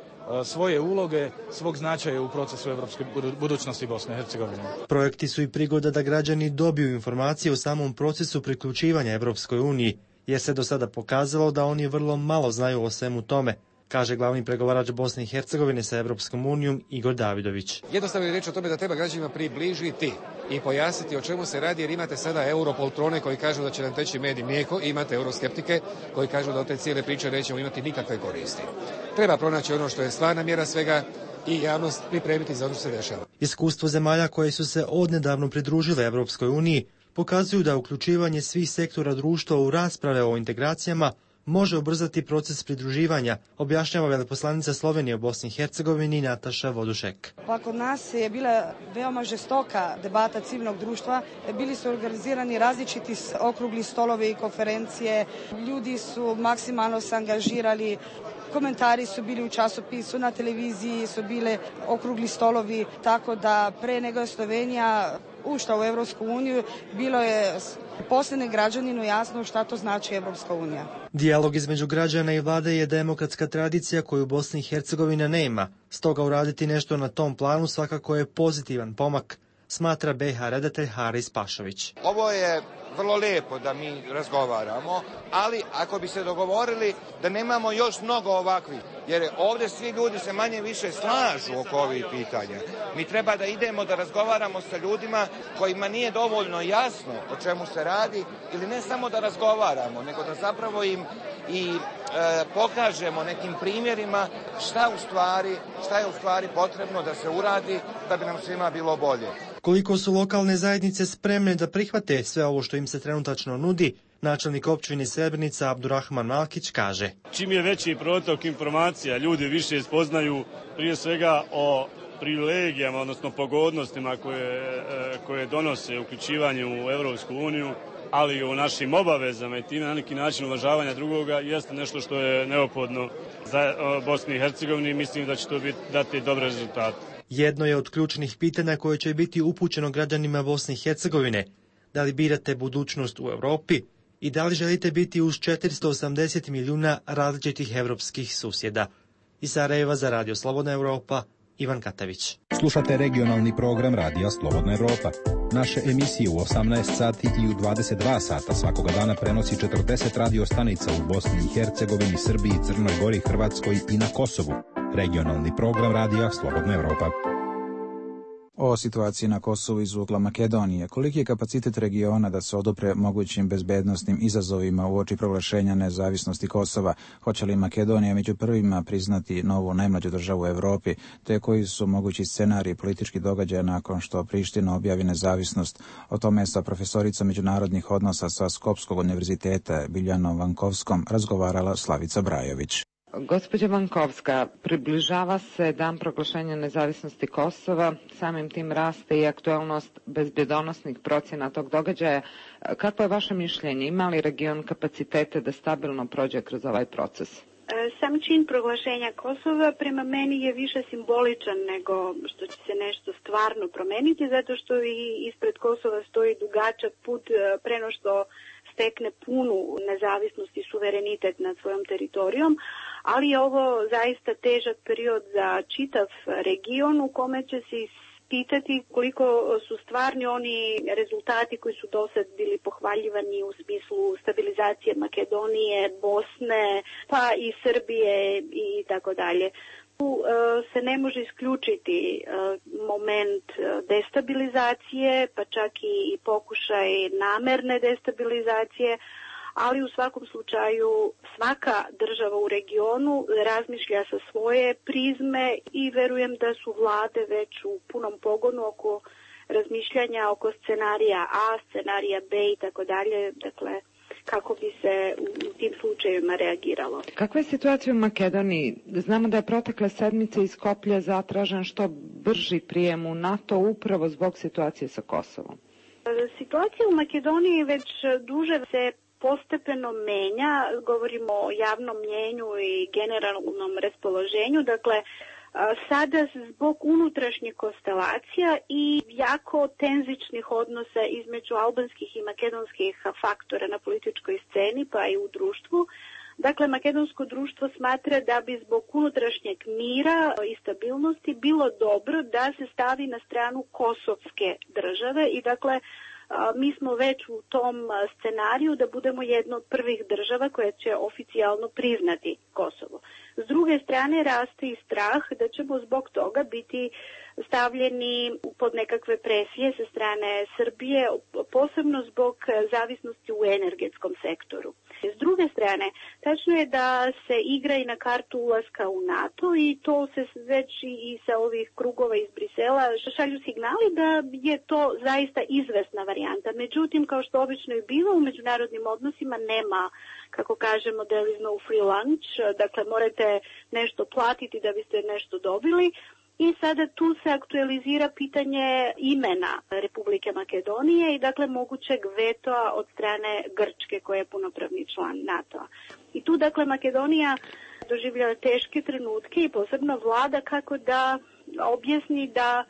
svoje uloge, svog značaja u procesu evropske budućnosti Bosne i Hercegovine. Projekti su i prigoda da građani dobiju informacije o samom procesu priključivanja Evropskoj uniji, jer se do sada pokazalo da oni vrlo malo znaju o svemu tome, kaže glavni pregovarač Bosne i Hercegovine sa Evropskom unijom Igor Davidović. Jednostavno je reč o tome da treba građanima približiti i pojasniti o čemu se radi, jer imate sada europoltrone koji kažu da će nam teći med i mlijeko, i imate euroskeptike koji kažu da od te cijele priče nećemo imati nikakve koristi. Treba pronaći ono što je stvarna mjera svega i javnost pripremiti za ono što se dešava. Iskustvo zemalja koje su se odnedavno pridružile Evropskoj uniji pokazuju da uključivanje svih sektora društva u rasprave o integracijama može ubrzati proces pridruživanja, objašnjava veleposlanica Slovenije u Bosni i Hercegovini Nataša Vodušek. Pa kod nas je bila veoma žestoka debata civilnog društva, bili su organizirani različiti okrugli stolovi i konferencije, ljudi su maksimalno se angažirali, komentari su bili u časopisu, na televiziji su bile okrugli stolovi, tako da pre nego je Slovenija ušla u Evropsku uniju, bilo je poslednjem građaninu jasno šta to znači Evropska unija. Dijalog između građana i vlade je demokratska tradicija koju Bosna i Hercegovina nema, stoga uraditi nešto na tom planu svakako je pozitivan pomak, smatra B H redatelj Haris Pašović. Ovo je vrlo lijepo da mi razgovaramo, ali ako bi se dogovorili da nemamo još mnogo ovakvih, jer ovdje svi ljudi se manje više slažu oko ovih pitanja. Mi treba da idemo da razgovaramo sa ljudima kojima nije dovoljno jasno o čemu se radi, ili ne samo da razgovaramo, nego da zapravo im i e, pokažemo nekim primjerima šta u stvari, šta je u stvari potrebno da se uradi da bi nam svima bilo bolje. Koliko su lokalne zajednice spremne da prihvate sve ovo što im se trenutačno nudi, načelnik općine Srebrenica Abdurrahman Malkić kaže. Čim je veći protok informacija, ljudi više spoznaju prije svega o privilegijama, odnosno pogodnostima koje, koje donose uključivanje u Evropsku uniju, ali i o našim obavezama i time na neki način uvažavanja drugoga, jeste nešto što je neophodno za Bosni i Hercegovini i mislim da će to biti, dati dobre rezultate. Jedno je od ključnih pitanja koje će biti upućeno građanima Bosne i Hercegovine. Da li birate budućnost u Europi i da li želite biti uz četiristo osamdeset milijuna različitih evropskih susjeda? Iz Sarajeva za Radio Slobodna Evropa, Ivan Katavić. Slušate regionalni program Radija Slobodna Evropa. Naše emisije u osamnaest sati i u dvadeset dva sata svakoga dana prenosi četrdeset radio stanica u Bosni i Hercegovini, Srbiji, Crnoj Gori, Hrvatskoj i na Kosovu. Regionalni program Radija Slobodna Evropa. O situaciji na Kosovu iz ugla Makedonije. Koliki je kapacitet regiona da se odupre mogućim bezbednosnim izazovima uoči proglašenja nezavisnosti Kosova? Hoće li Makedonija među prvima priznati novu najmlađu državu u Evropi, te koji su mogući scenariji političkih događaja nakon što Priština objavi nezavisnost? O tome sa profesoricom međunarodnih odnosa sa Skopskog univerziteta Biljanom Vankovskom razgovarala Slavica Brajović. Gospođa Vankovska, približava se dan proglašenja nezavisnosti Kosova, samim tim raste i aktuelnost bezbjedonosnih procjena tog događaja. Kako je vaše mišljenje? Ima li region kapacitete da stabilno prođe kroz ovaj proces? Sam čin proglašenja Kosova prema meni je više simboličan nego što će se nešto stvarno promeniti, zato što i ispred Kosova stoji dugačak put preno što stekne punu nezavisnost i suverenitet nad svojom teritorijom, ali je ovo zaista težak period za čitav region u kome će se pitati koliko su stvarni oni rezultati koji su dosad bili pohvaljivani u smislu stabilizacije Makedonije, Bosne, pa i Srbije i tako dalje. Tu se ne može isključiti moment destabilizacije, pa čak i pokušaj namerne destabilizacije, ali u svakom slučaju svaka država u regionu razmišlja sa svoje prizme i verujem da su vlade već u punom pogonu oko razmišljanja oko scenarija A, scenarija B i tako dalje, dakle kako bi se u tim slučajevima reagiralo. Kakva je situacija u Makedoniji? Znamo da je protekle sedmice iz Skoplja zatražen što brži prijem u NATO upravo zbog situacije sa Kosovom. Situacija u Makedoniji već duže se postepeno menja, govorimo o javnom mnjenju i generalnom raspoloženju, dakle sada zbog unutrašnjih konstelacija i jako tenzičnih odnosa između albanskih i makedonskih faktora na političkoj sceni pa i u društvu. Dakle, makedonsko društvo smatra da bi zbog unutrašnjeg mira i stabilnosti bilo dobro da se stavi na stranu kosovske države i dakle mi smo već u tom scenariju da budemo jedna od prvih država koja će oficijalno priznati Kosovo. S druge strane raste i strah da ćemo zbog toga biti stavljeni pod nekakve presije sa strane Srbije, posebno zbog zavisnosti u energetskom sektoru. S druge strane, tačno je da se igra i na kartu ulaska u NATO i to se već i sa ovih krugova iz Brisela šalju signali da je to zaista izvesna varijanta. Međutim, kao što obično je bilo u međunarodnim odnosima, nema, kako kažemo, there is no free lunch, dakle morate nešto platiti da biste nešto dobili. I sada tu se aktualizira pitanje imena Republike Makedonije i dakle mogućeg vetoa od strane Grčke koja je punopravni član NATO-a. I tu dakle Makedonija doživljava teške trenutke i posebno vlada kako da objasni da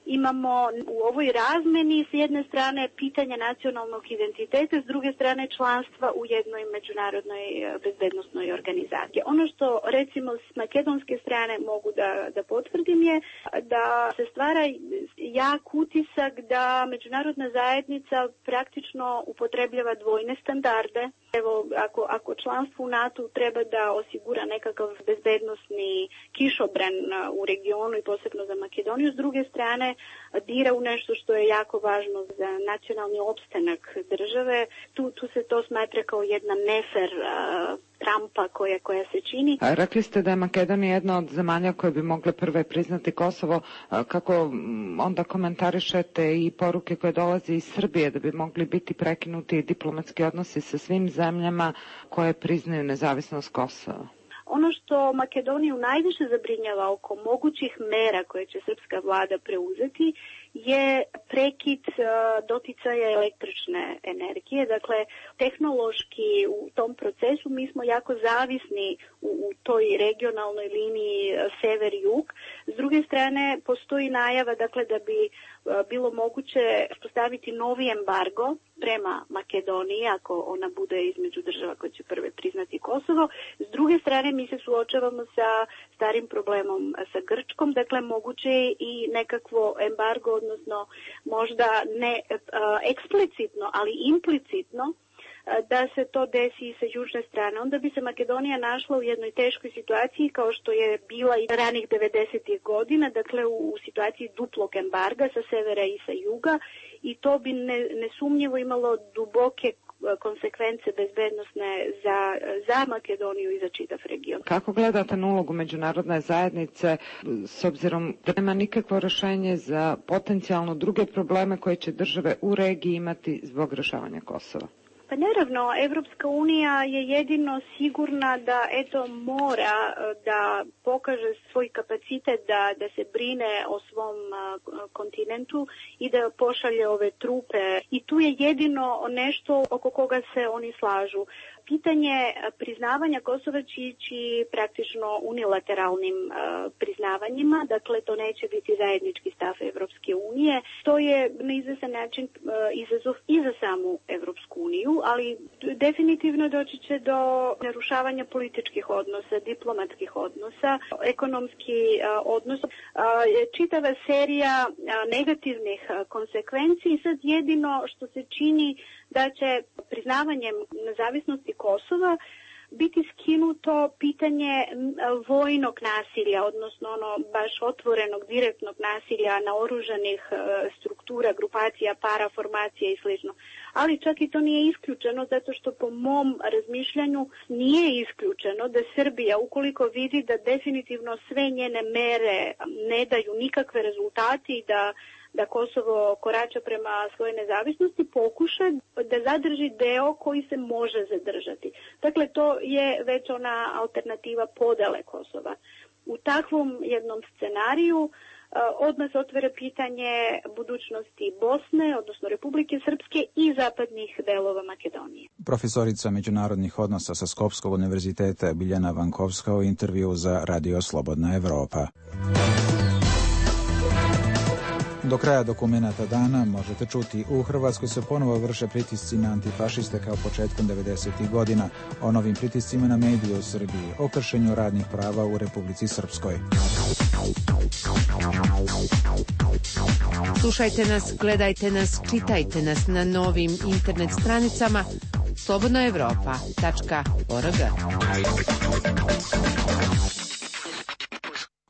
imamo u ovoj razmeni s jedne strane pitanja nacionalnog identiteta, s druge strane članstva u jednoj međunarodnoj bezbednosnoj organizaciji. Ono što recimo s makedonske strane mogu da, da potvrdim je da se stvara jak utisak da međunarodna zajednica praktično upotrebljava dvojne standarde. Evo, ako, ako članstvo u NATO treba da osigura nekakav bezbednosni kišobran u regionu i posebno za Makedoniju, s druge strane dira u nešto što je jako važno za nacionalni opstanak države. Tu, tu se to smatra kao jedna nefer uh, trampa koja, koja se čini. A rekli ste da je Makedonija jedna od zemalja koje bi mogle prve priznati Kosovo. Kako onda komentarišete i poruke koje dolaze iz Srbije da bi mogli biti prekinuti diplomatski odnosi sa svim zemljama koje priznaju nezavisnost Kosova? Ono što Makedoniju najviše zabrinjava oko mogućih mera koje će srpska vlada preuzeti je prekid doticaja električne energije. Dakle, tehnološki u tom procesu mi smo jako zavisni u, u toj regionalnoj liniji sever-jug. S druge strane, postoji najava dakle, da bi bilo moguće postaviti novi embargo prema Makedoniji, ako ona bude između država koje će prve priznati Kosovo. S druge strane, mi se suočavamo sa starim problemom sa Grčkom, dakle moguće je i nekakvo embargo, odnosno možda ne a, eksplicitno, ali implicitno, da se to desi sa južne strane. Onda bi se Makedonija našla u jednoj teškoj situaciji kao što je bila i ranih devedesetih godina, dakle u, u situaciji duplog embarga sa severa i sa juga, i to bi ne, nesumnjivo imalo duboke konsekvence bezbednosne za, za Makedoniju i za čitav region. Kako gledate na ulogu međunarodne zajednice s obzirom da nema nikakvo rješenje za potencijalno druge probleme koje će države u regiji imati zbog rješavanja Kosova? Pa naravno, Evropska unija je jedino sigurna da eto mora da pokaže svoj kapacitet da, da se brine o svom kontinentu i da pošalje ove trupe. I tu je jedino nešto oko koga se oni slažu. Pitanje priznavanja Kosova će ići praktično unilateralnim uh, priznavanjima, dakle to neće biti zajednički stav Evropske unije. To je na izvesan način uh, izazov i za samu Evropsku uniju, ali definitivno doći će do narušavanja političkih odnosa, diplomatskih odnosa, ekonomski uh, odnos. Uh, čitava serija uh, negativnih uh, konsekvenci i sad jedino što se čini da će priznavanjem nezavisnosti Kosova biti skinuto pitanje vojnog nasilja, odnosno ono baš otvorenog, direktnog nasilja naoružanih struktura, grupacija, paraformacija i slično. Ali čak i to nije isključeno, zato što po mom razmišljanju nije isključeno da Srbija, ukoliko vidi da definitivno sve njene mere ne daju nikakve rezultate i da da Kosovo korača prema svojoj nezavisnosti, pokuša da zadrži deo koji se može zadržati. Dakle, to je već ona alternativa podele Kosova. U takvom jednom scenariju odmah se otvara pitanje budućnosti Bosne, odnosno Republike Srpske i zapadnih delova Makedonije. Profesorica međunarodnih odnosa sa Skopskog univerziteta Biljana Vankovska u intervju za Radio Slobodna Evropa. Do kraja dokumenata dana možete čuti: u Hrvatskoj se ponovo vrše pritisci na antifašiste kao početkom devedesetih godina, o novim pritiscima na medije u Srbiji, o kršenju radnih prava u Republici Srpskoj. Slušajte nas, gledajte nas, čitajte nas na novim internet stranicama slobodna evropa tačka org.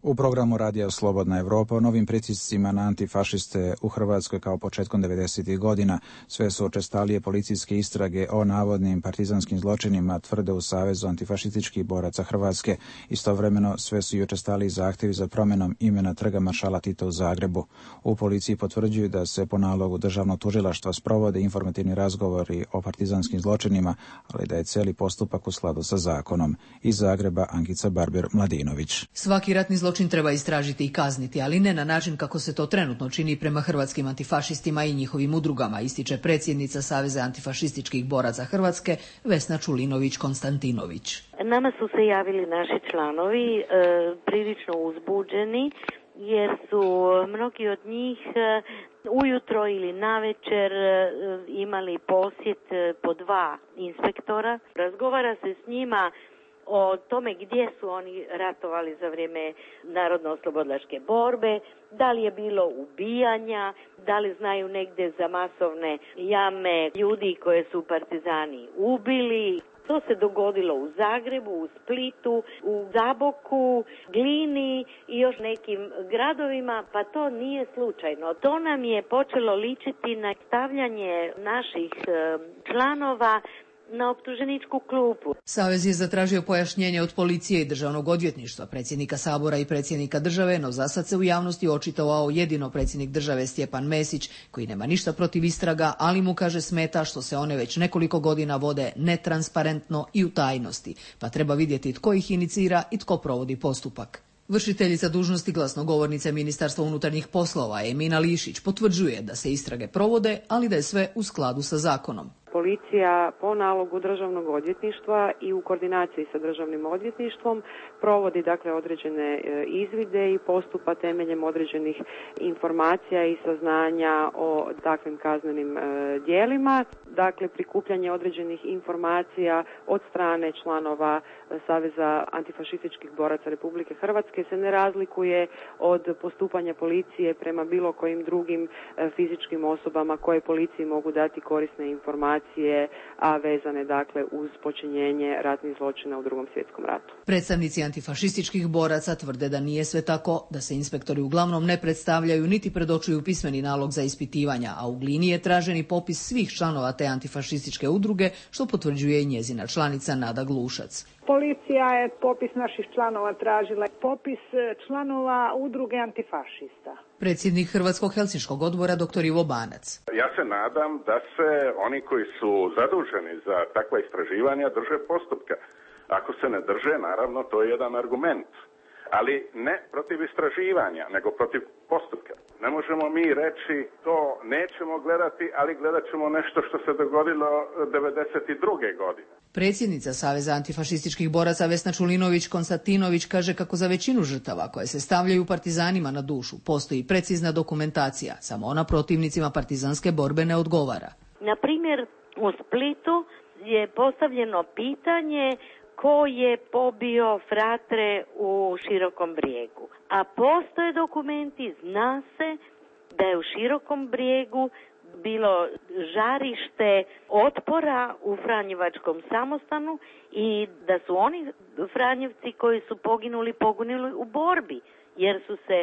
U programu Radija Slobodna Evropa o novim pritiscima na antifašiste u Hrvatskoj kao početkom devedesetih godina sve su učestalije policijske istrage o navodnim partizanskim zločinima, tvrde u Savezu antifašističkih boraca Hrvatske. Istovremeno sve su i učestaliji zahtjevi za promjenom imena trga maršala Tita u Zagrebu. U policiji potvrđuju da se po nalogu državnog tužilaštva sprovode informativni razgovori o partizanskim zločinima, ali da je cijeli postupak u skladu sa zakonom. Iz Zagreba Ankica Barbir-Mladinović. Svaki ratni zločin treba istražiti i kazniti, ali ne na način kako se to trenutno čini prema hrvatskim antifašistima i njihovim udrugama, ističe predsjednica Saveza antifašističkih boraca Hrvatske Vesna Čulinović-Konstantinović. Nama su se javili naši članovi e, prilično uzbuđeni jer su mnogi od njih e, ujutro ili navečer e, imali posjet po dva inspektora. Razgovara se s njima o tome gdje su oni ratovali za vrijeme narodno-oslobodilačke borbe, da li je bilo ubijanja, da li znaju negdje za masovne jame ljudi koje su partizani ubili. To se dogodilo u Zagrebu, u Splitu, u Zaboku, Glini i još nekim gradovima, pa to nije slučajno. To nam je počelo ličiti na stavljanje naših članova na optuženičku klupu. Savez je zatražio pojašnjenje od policije i državnog odvjetništva, predsjednika Sabora i predsjednika države, no zasad se u javnosti očitovao jedino predsjednik države Stjepan Mesić, koji nema ništa protiv istraga, ali mu kaže smeta što se one već nekoliko godina vode netransparentno i u tajnosti, pa treba vidjeti tko ih inicira i tko provodi postupak. Vršiteljica dužnosti glasnogovornice Ministarstva unutarnjih poslova Emina Lišić potvrđuje da se istrage provode, ali da je sve u skladu sa zakonom. Policija po nalogu državnog odvjetništva i u koordinaciji sa državnim odvjetništvom provodi dakle određene izvide i postupa temeljem određenih informacija i saznanja o takvim kaznenim djelima. Dakle, prikupljanje određenih informacija od strane članova Saveza antifašističkih boraca Republike Hrvatske se ne razlikuje od postupanja policije prema bilo kojim drugim fizičkim osobama koje policiji mogu dati korisne informacije, a vezane dakle uz počinjenje ratnih zločina u Drugom svjetskom ratu. Predstavnici antifašističkih boraca tvrde da nije sve tako, da se inspektori uglavnom ne predstavljaju niti predočuju pismeni nalog za ispitivanja, a u Glini je traženi popis svih članova te antifašističke udruge, što potvrđuje i njezina članica Nada Glušac. Policija je popis naših članova tražila, popis članova udruge antifašista. Predsjednik Hrvatskog helsinškog odbora dr. Ivo Banac. Ja se nadam da se oni koji su zaduženi za takva istraživanja drže postupka. Ako se ne drže, naravno, to je jedan argument. Ali ne protiv istraživanja, nego protiv postupka. Ne možemo mi reći to nećemo gledati, ali gledat ćemo nešto što se dogodilo devedeset druge godine. Predsjednica Saveza antifašističkih boraca Vesna Čulinović-Konstantinović kaže kako za većinu žrtava koje se stavljaju partizanima na dušu postoji precizna dokumentacija, samo ona protivnicima partizanske borbe ne odgovara. Na primjer, u Splitu je postavljeno pitanje ko je pobio fratre u Širokom Brijegu. A postoje dokumenti, zna se da je u Širokom Brijegu bilo žarište otpora u Franjevačkom samostanu i da su oni Franjevci koji su poginuli, poginuli u borbi, jer su se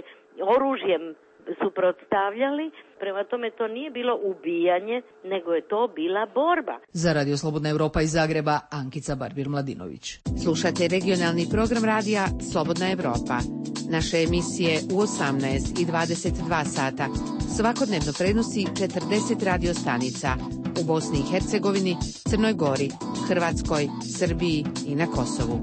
oružjem suprotstavljali, prema tome to nije bilo ubijanje, nego je to bila borba. Za Radio Slobodna Evropa iz Zagreba, Ankica Barbir-Mladinović. Slušate regionalni program radija Slobodna Evropa. Naše emisije u osamnaest i dvadeset dva sata svakodnevno prenosi četrdeset radio stanica u Bosni i Hercegovini, Crnoj Gori, Hrvatskoj, Srbiji i na Kosovu.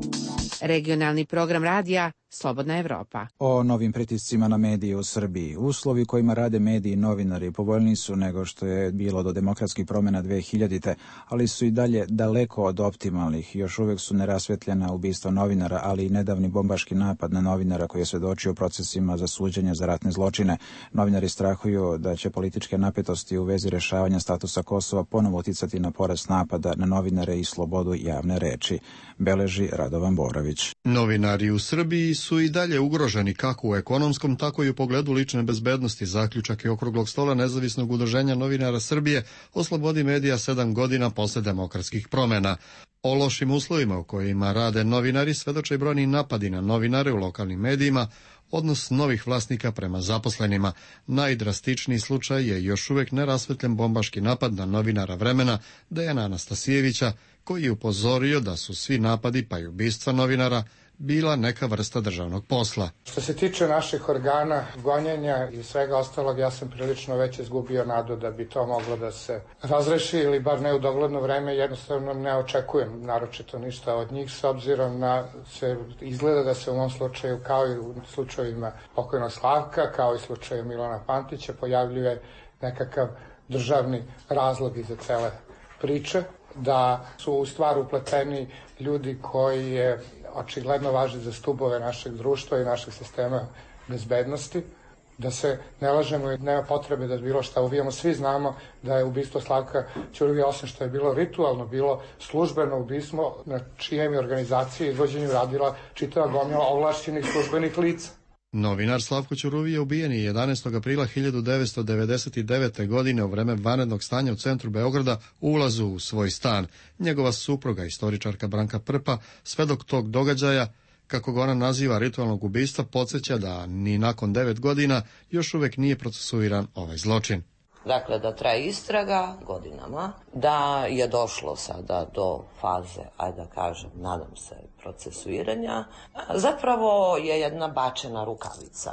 Regionalni program radija Slobodna Evropa. O novim pritiscima na medije u Srbiji. Uslovi kojima rade mediji i novinari povoljniji su nego što je bilo do demokratskih promjena dve hiljadite, ali su i dalje daleko od optimalnih. Još uvijek su nerasvetljena ubistva novinara, ali i nedavni bombaški napad na novinara koji je svjedočio procesima za suđenje za ratne zločine. Novinari strahuju da će političke napetosti u vezi rješavanja statusa Kosova ponovo uticati na porast napada na novinare i slobodu javne reči, beleži Radovan Borović. Novinari u Srbiji su i dalje ugroženi kako u ekonomskom, tako i u pogledu lične bezbednosti. Zaključak je okruglog stola Nezavisnog udruženja novinara Srbije o slobodi medija sedam godina posle demokratskih promena. O lošim uslovima u kojima rade novinari svedoče i brojni napadi na novinare u lokalnim medijima, odnos novih vlasnika prema zaposlenima. Najdrastičniji slučaj je još uvek nerasvetljen bombaški napad na novinara Vremena Dejana Anastasijevića, koji je upozorio da su svi napadi, pa i ubistva novinara, bila neka vrsta državnog posla. Što se tiče naših organa gonjenja i svega ostalog, ja sam prilično već izgubio nadu da bi to moglo da se razreši ili bar ne u dogledno vreme. Jednostavno ne očekujem naročito ništa od njih, s obzirom na se izgleda da se u mom slučaju, kao i u slučajevima pokojnog Slavka, kao i slučaju Milana Pantića, pojavljuje nekakav državni razlog iza cele priče, da su u stvar upleteni ljudi koji je očigledno važi za stubove našeg društva i našeg sistema bezbednosti, da se ne lažemo i nema potrebe da bilo šta uvijamo. Svi znamo da je ubistvo Slavka Ćuruvije, osim što je bilo ritualno, bilo službeno ubistvo na čijem je organizaciji izvođenju radila čitava gomila ovlašćenih službenih lica. Novinar Slavko Ćuruvije ubijen je jedanaestog aprila hiljadu devetsto devedeset devete. godine u vreme vanrednog stanja u centru Beograda u ulazu u svoj stan. Njegova supruga, istoričarka Branka Prpa, svedok tog događaja, kako ga ona naziva ritualnog ubistva, podsjeća da ni nakon devet godina još uvek nije procesuiran ovaj zločin. Dakle, da traje istraga godinama, da je došlo sada do faze, ajde da kažem, nadam se, procesuiranja, zapravo je jedna bačena rukavica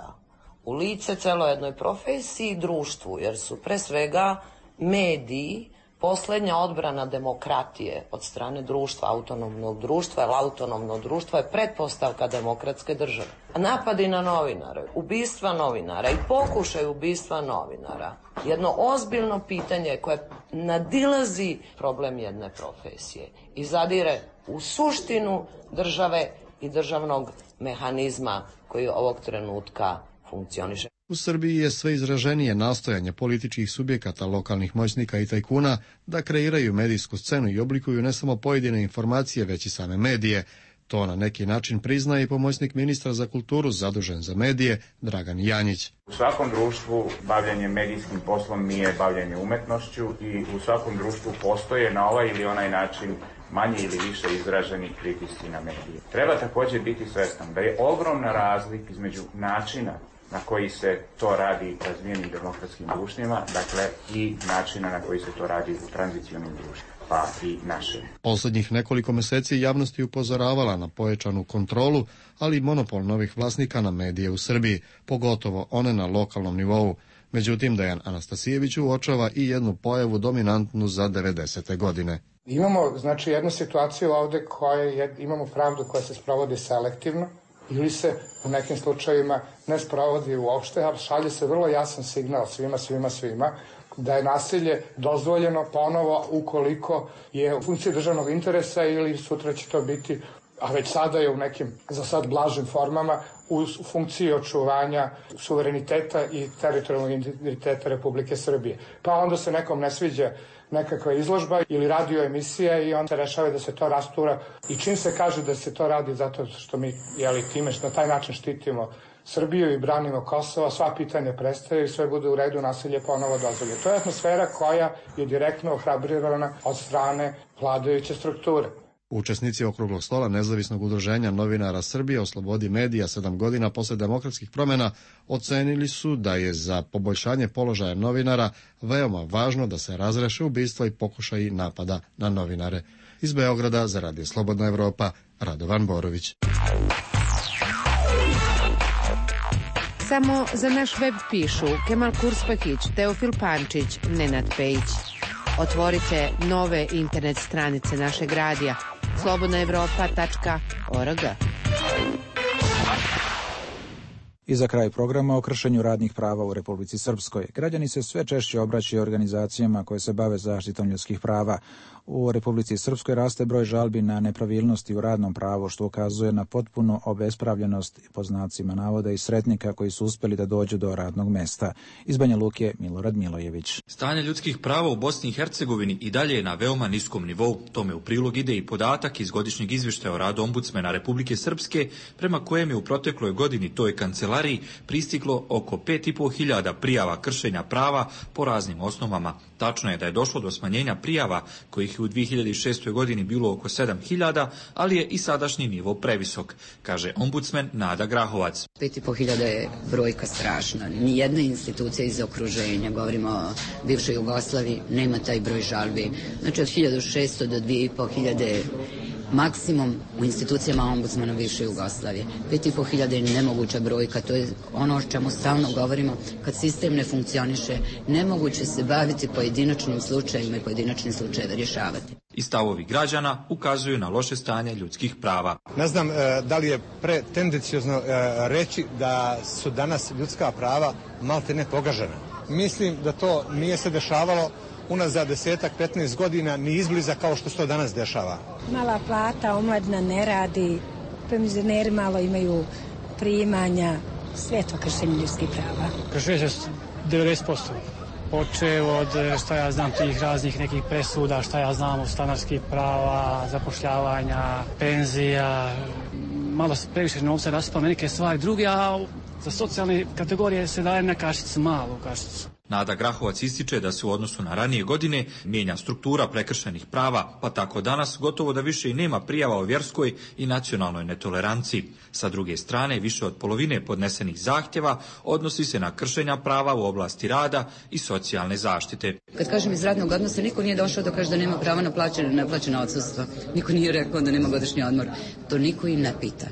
u lice celo jednoj profesiji i društvu, jer su pre svega mediji poslednja odbrana demokratije od strane društva, autonomnog društva, jer autonomno društvo je pretpostavka demokratske države. Napadi na novinare, ubistva novinara i pokušaj ubistva novinara, jedno ozbiljno pitanje koje nadilazi problem jedne profesije i zadire u suštinu države i državnog mehanizma koji ovog trenutka funkcioniše. U Srbiji je sve izraženije nastojanje političkih subjekata, lokalnih moćnika i tajkuna da kreiraju medijsku scenu i oblikuju ne samo pojedine informacije, već i same medije. To na neki način priznaje i pomoćnik ministra za kulturu zadužen za medije, Dragan Janjić. U svakom društvu bavljanje medijskim poslom nije bavljanje umetnošću i u svakom društvu postoje na ovaj ili onaj način manje ili više izraženi pritisci na medije. Treba također biti svestan da je ogromna razlika između načina na koji se to radi u razvijenim demokratskim društvima, dakle i načina na koji se to radi u tranzicionim društvima, pa i naše. Poslednjih nekoliko meseci javnost je upozoravala na pojačanu kontrolu, ali i monopol novih vlasnika na medije u Srbiji, pogotovo one na lokalnom nivou. Međutim, Dejan Anastasijević uočava i jednu pojavu dominantnu za devedesete godine. Imamo, znači, jednu situaciju ovde koja je, imamo pravdu koja se sprovodi selektivno, ili se u nekim slučajevima ne sprovodi uopšte, a šalje se vrlo jasan signal svima, svima, svima, da je nasilje dozvoljeno ponovo ukoliko je u funkciji državnog interesa ili sutra će to biti, a već sada je u nekim, za sad, blažim formama, u funkciji očuvanja suvereniteta i teritorijalnog integriteta Republike Srbije. Pa onda se nekom ne sviđa nekakva izložba ili radio emisija i onda se rešava da se to rastura. I čim se kaže da se to radi zato što mi, jeli, time na taj način štitimo Srbiju i branimo Kosovo, sva pitanja prestaju i sve bude u redu, nasilje ponovo dozvoljeno. To je atmosfera koja je direktno ohrabrirana od strane vladajuće strukture. Učesnici okruglog stola Nezavisnog udruženja novinara Srbije o slobodi medija sedam godina posle demokratskih promena ocenili su da je za poboljšanje položaja novinara veoma važno da se razreše ubistva i pokušaji napada na novinare. Iz Beograda za Radio Slobodna Evropa, Radovan Borović. Samo za naš web pišu Kemal Kurspakić, Teofil Pančić, Nenad Pejić. Otvorite nove internet stranice našeg radija slobodna evropa tačka org. I za kraj programa o kršenju radnih prava u Republici Srpskoj. Građani se sve češće obraćaju organizacijama koje se bave zaštitom ljudskih prava. U Republici Srpskoj raste broj žalbi na nepravilnosti u radnom pravu, što ukazuje na potpunu obespravljenost, po znacima navoda, i sretnika koji su uspeli da dođu do radnog mesta. Iz Banja Luke, Milorad Milojević. Stanje ljudskih prava u Bosni i Hercegovini i dalje je na veoma niskom nivou. Tome u prilog ide i podatak iz godišnjeg izvještaja o radu ombudsmena Republike Srpske, prema kojem je u protekloj godini toj kancelariji pristiglo oko pet i po hiljada prijava kršenja prava po raznim osnovama. Tačno je da je došlo do smanjenja prijava, kojih je u dvije hiljade šestoj. godini bilo oko sedam hiljada, ali je i sadašnji nivo previsok, kaže ombudsmen Nada Grahovac. pet i po hiljada je brojka strašna. Nijedna institucija iz okruženja, govorimo o bivšoj Jugoslaviji, nema taj broj žalbi. Znači od hiljadu šesto do dvije i po hiljade maksimum u institucijama ombudsmana bivše Jugoslavije. Pet i po hiljada je nemoguća brojka, to je ono o čemu stalno govorimo. Kad sistem ne funkcioniše, nemoguće se baviti pojedinačnim slučajima i pojedinačnim slučajeve rješavati. I stavovi građana ukazuju na loše stanje ljudskih prava. Ne znam e, da li je pretendenciozno e, reći da su danas ljudska prava malte ne pogažena. Mislim da to nije se dešavalo unazad desetak, petnaest godina ni izbliza kao što se to danas dešava. Mala plata, omladina ne radi, penzioneri malo imaju primanja, sve to kršenje ljudskih prava. Kršenje devedeset posto. Počeo od, šta ja znam, tih raznih nekih presuda, šta ja znam, od stanarskih prava, zapošljavanja, penzija, malo se previše novca raspao na neke stvari druge, a za socijalne kategorije se daje na kašicu, malu kašicu. Nada Grahovac ističe da se u odnosu na ranije godine mijenja struktura prekršenih prava, pa tako danas gotovo da više i nema prijava o vjerskoj i nacionalnoj netoleranciji. Sa druge strane, više od polovine podnesenih zahtjeva odnosi se na kršenja prava u oblasti rada i socijalne zaštite. Kad kažem iz radnog odnosa, niko nije došao da kaže da nema prava na plaćene, neplaćena odsustva. Niko nije rekao da nema godišnji odmor. To niko im ne pita.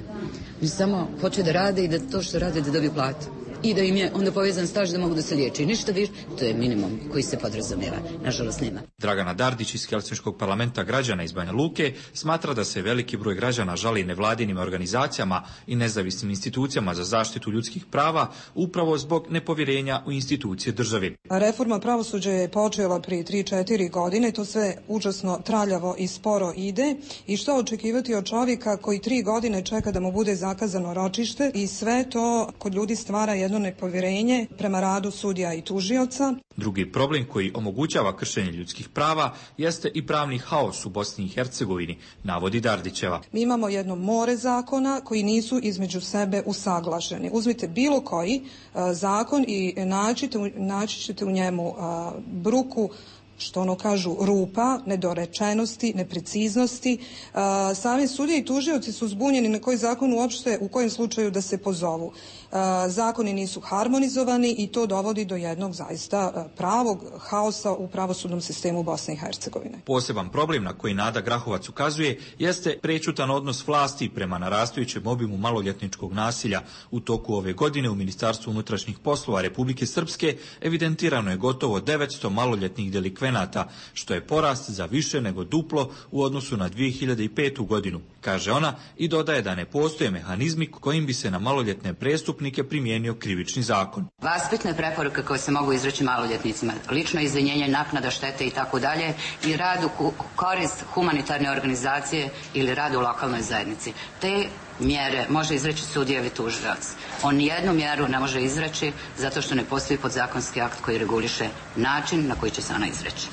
Oni samo hoće da rade i da to što rade da dobiju platu. I da im je onda povezan staž da mogu da se liječi. Ništa više, to je minimum koji se podrazumijeva. Nažalost nema. Dragana Dardić iz Helsinškog parlamenta građana iz Banja Luke smatra da se veliki broj građana žali nevladinim organizacijama i nezavisnim institucijama za zaštitu ljudskih prava upravo zbog nepovjerenja u institucije države. Reforma pravosuđa je počela prije tri četiri godine, to sve užasno traljavo i sporo ide. I što očekivati od čovjeka koji tri godine čeka da mu bude zakazano ročište i sve to kod ljudi stvara jedno nepovjerenje prema radu sudija i tužioca. Drugi problem koji omogućava kršenje ljudskih prava jeste i pravni haos u Bosni i Hercegovini, navodi Dardićeva. Mi imamo jedno more zakona koji nisu između sebe usaglašeni. Uzmite bilo koji uh, zakon i naćite, naći ćete u njemu uh, bruku, što ono kažu, rupa, nedorečenosti, nepreciznosti. Uh, sami sudije i tužioci su zbunjeni na koji zakon uopšte, u kojem slučaju da se pozovu. Uh, zakoni nisu harmonizovani i to dovodi do jednog zaista uh, pravog haosa u pravosudnom sistemu Bosne i Hercegovine. Poseban problem na koji Nada Grahovac ukazuje jeste prečutan odnos vlasti prema narastajućem obimu maloljetničkog nasilja. U toku ove godine u Ministarstvu unutrašnjih poslova Republike Srpske evidentirano je gotovo devetsto maloljetnih delikvenata, što je porast za više nego duplo u odnosu na dvije hiljade petu. godinu, kaže ona, i dodaje da ne postoje mehanizmi kojim bi se na maloljetne prestupnike primijenio krivični zakon. Vaspitne preporuke koje se mogu izreći maloljetnicima, lično izvinjenje, naknada štete i tako dalje, i rad u korist humanitarne organizacije ili rad u lokalnoj zajednici. Te mjere može izreći sudija ili tužilac. On nijednu mjeru ne može izreći zato što ne postoji podzakonski akt koji reguliše način na koji će se ona izreći.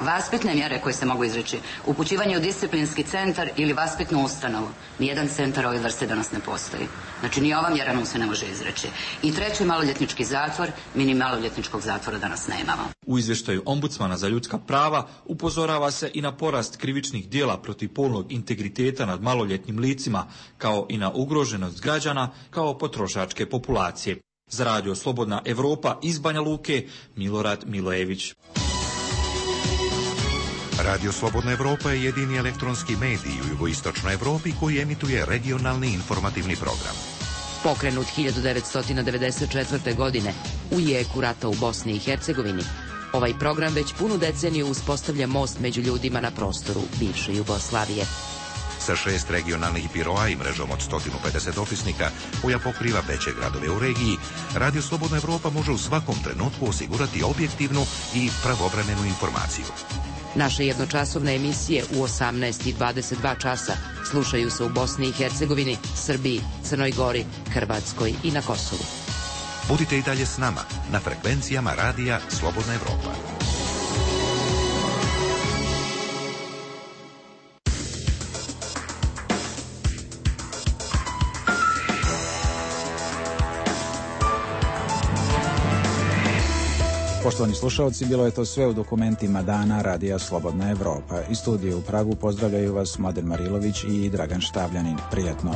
Vaspitne mjere koje se mogu izreći, upućivanje u disciplinski centar ili vaspitnu ustanovu. Nijedan centar ove vrste danas ne postoji. Znači ni ova mjera nam se ne može izreći. I treći, maloljetnički zatvor, mi ni maloljetničkog zatvora danas nemamo. U izvještaju ombudsmana za ljudska prava upozorava se i na porast krivičnih djela protiv polnog integriteta nad maloljetnim licima, kao i na ugroženost građana kao potrošačke populacije. Za radio Slobodna Evropa iz Banja Luke, Milorad Milojević. Radio Slobodna Evropa je jedini elektronski medij u jugoistočnoj Evropi koji emituje regionalni informativni program. Pokrenut hiljadu devetsto devedeset četvrte. godine u jeku rata u Bosni i Hercegovini, ovaj program već punu deceniju uspostavlja most među ljudima na prostoru bivše Jugoslavije. sa šest regionalnih biroa i mrežom od sto pedeset opisnika koja pokriva veće gradove u regiji, Radio Slobodna Evropa može u svakom trenutku osigurati objektivnu i pravovremenu informaciju. Naše jednočasovne emisije u osamnaest i dvadeset dva časa slušaju se u Bosni i Hercegovini, Srbiji, Crnoj Gori, Hrvatskoj i na Kosovu. Budite i dalje s nama na frekvencijama Radija Slobodna Evropa. Poštovani slušalci, bilo je to sve u dokumentima dana Radija Slobodna Evropa. Iz studija u Pragu pozdravljaju vas Mladen Marilović i Dragan Štavljanin. Prijatno.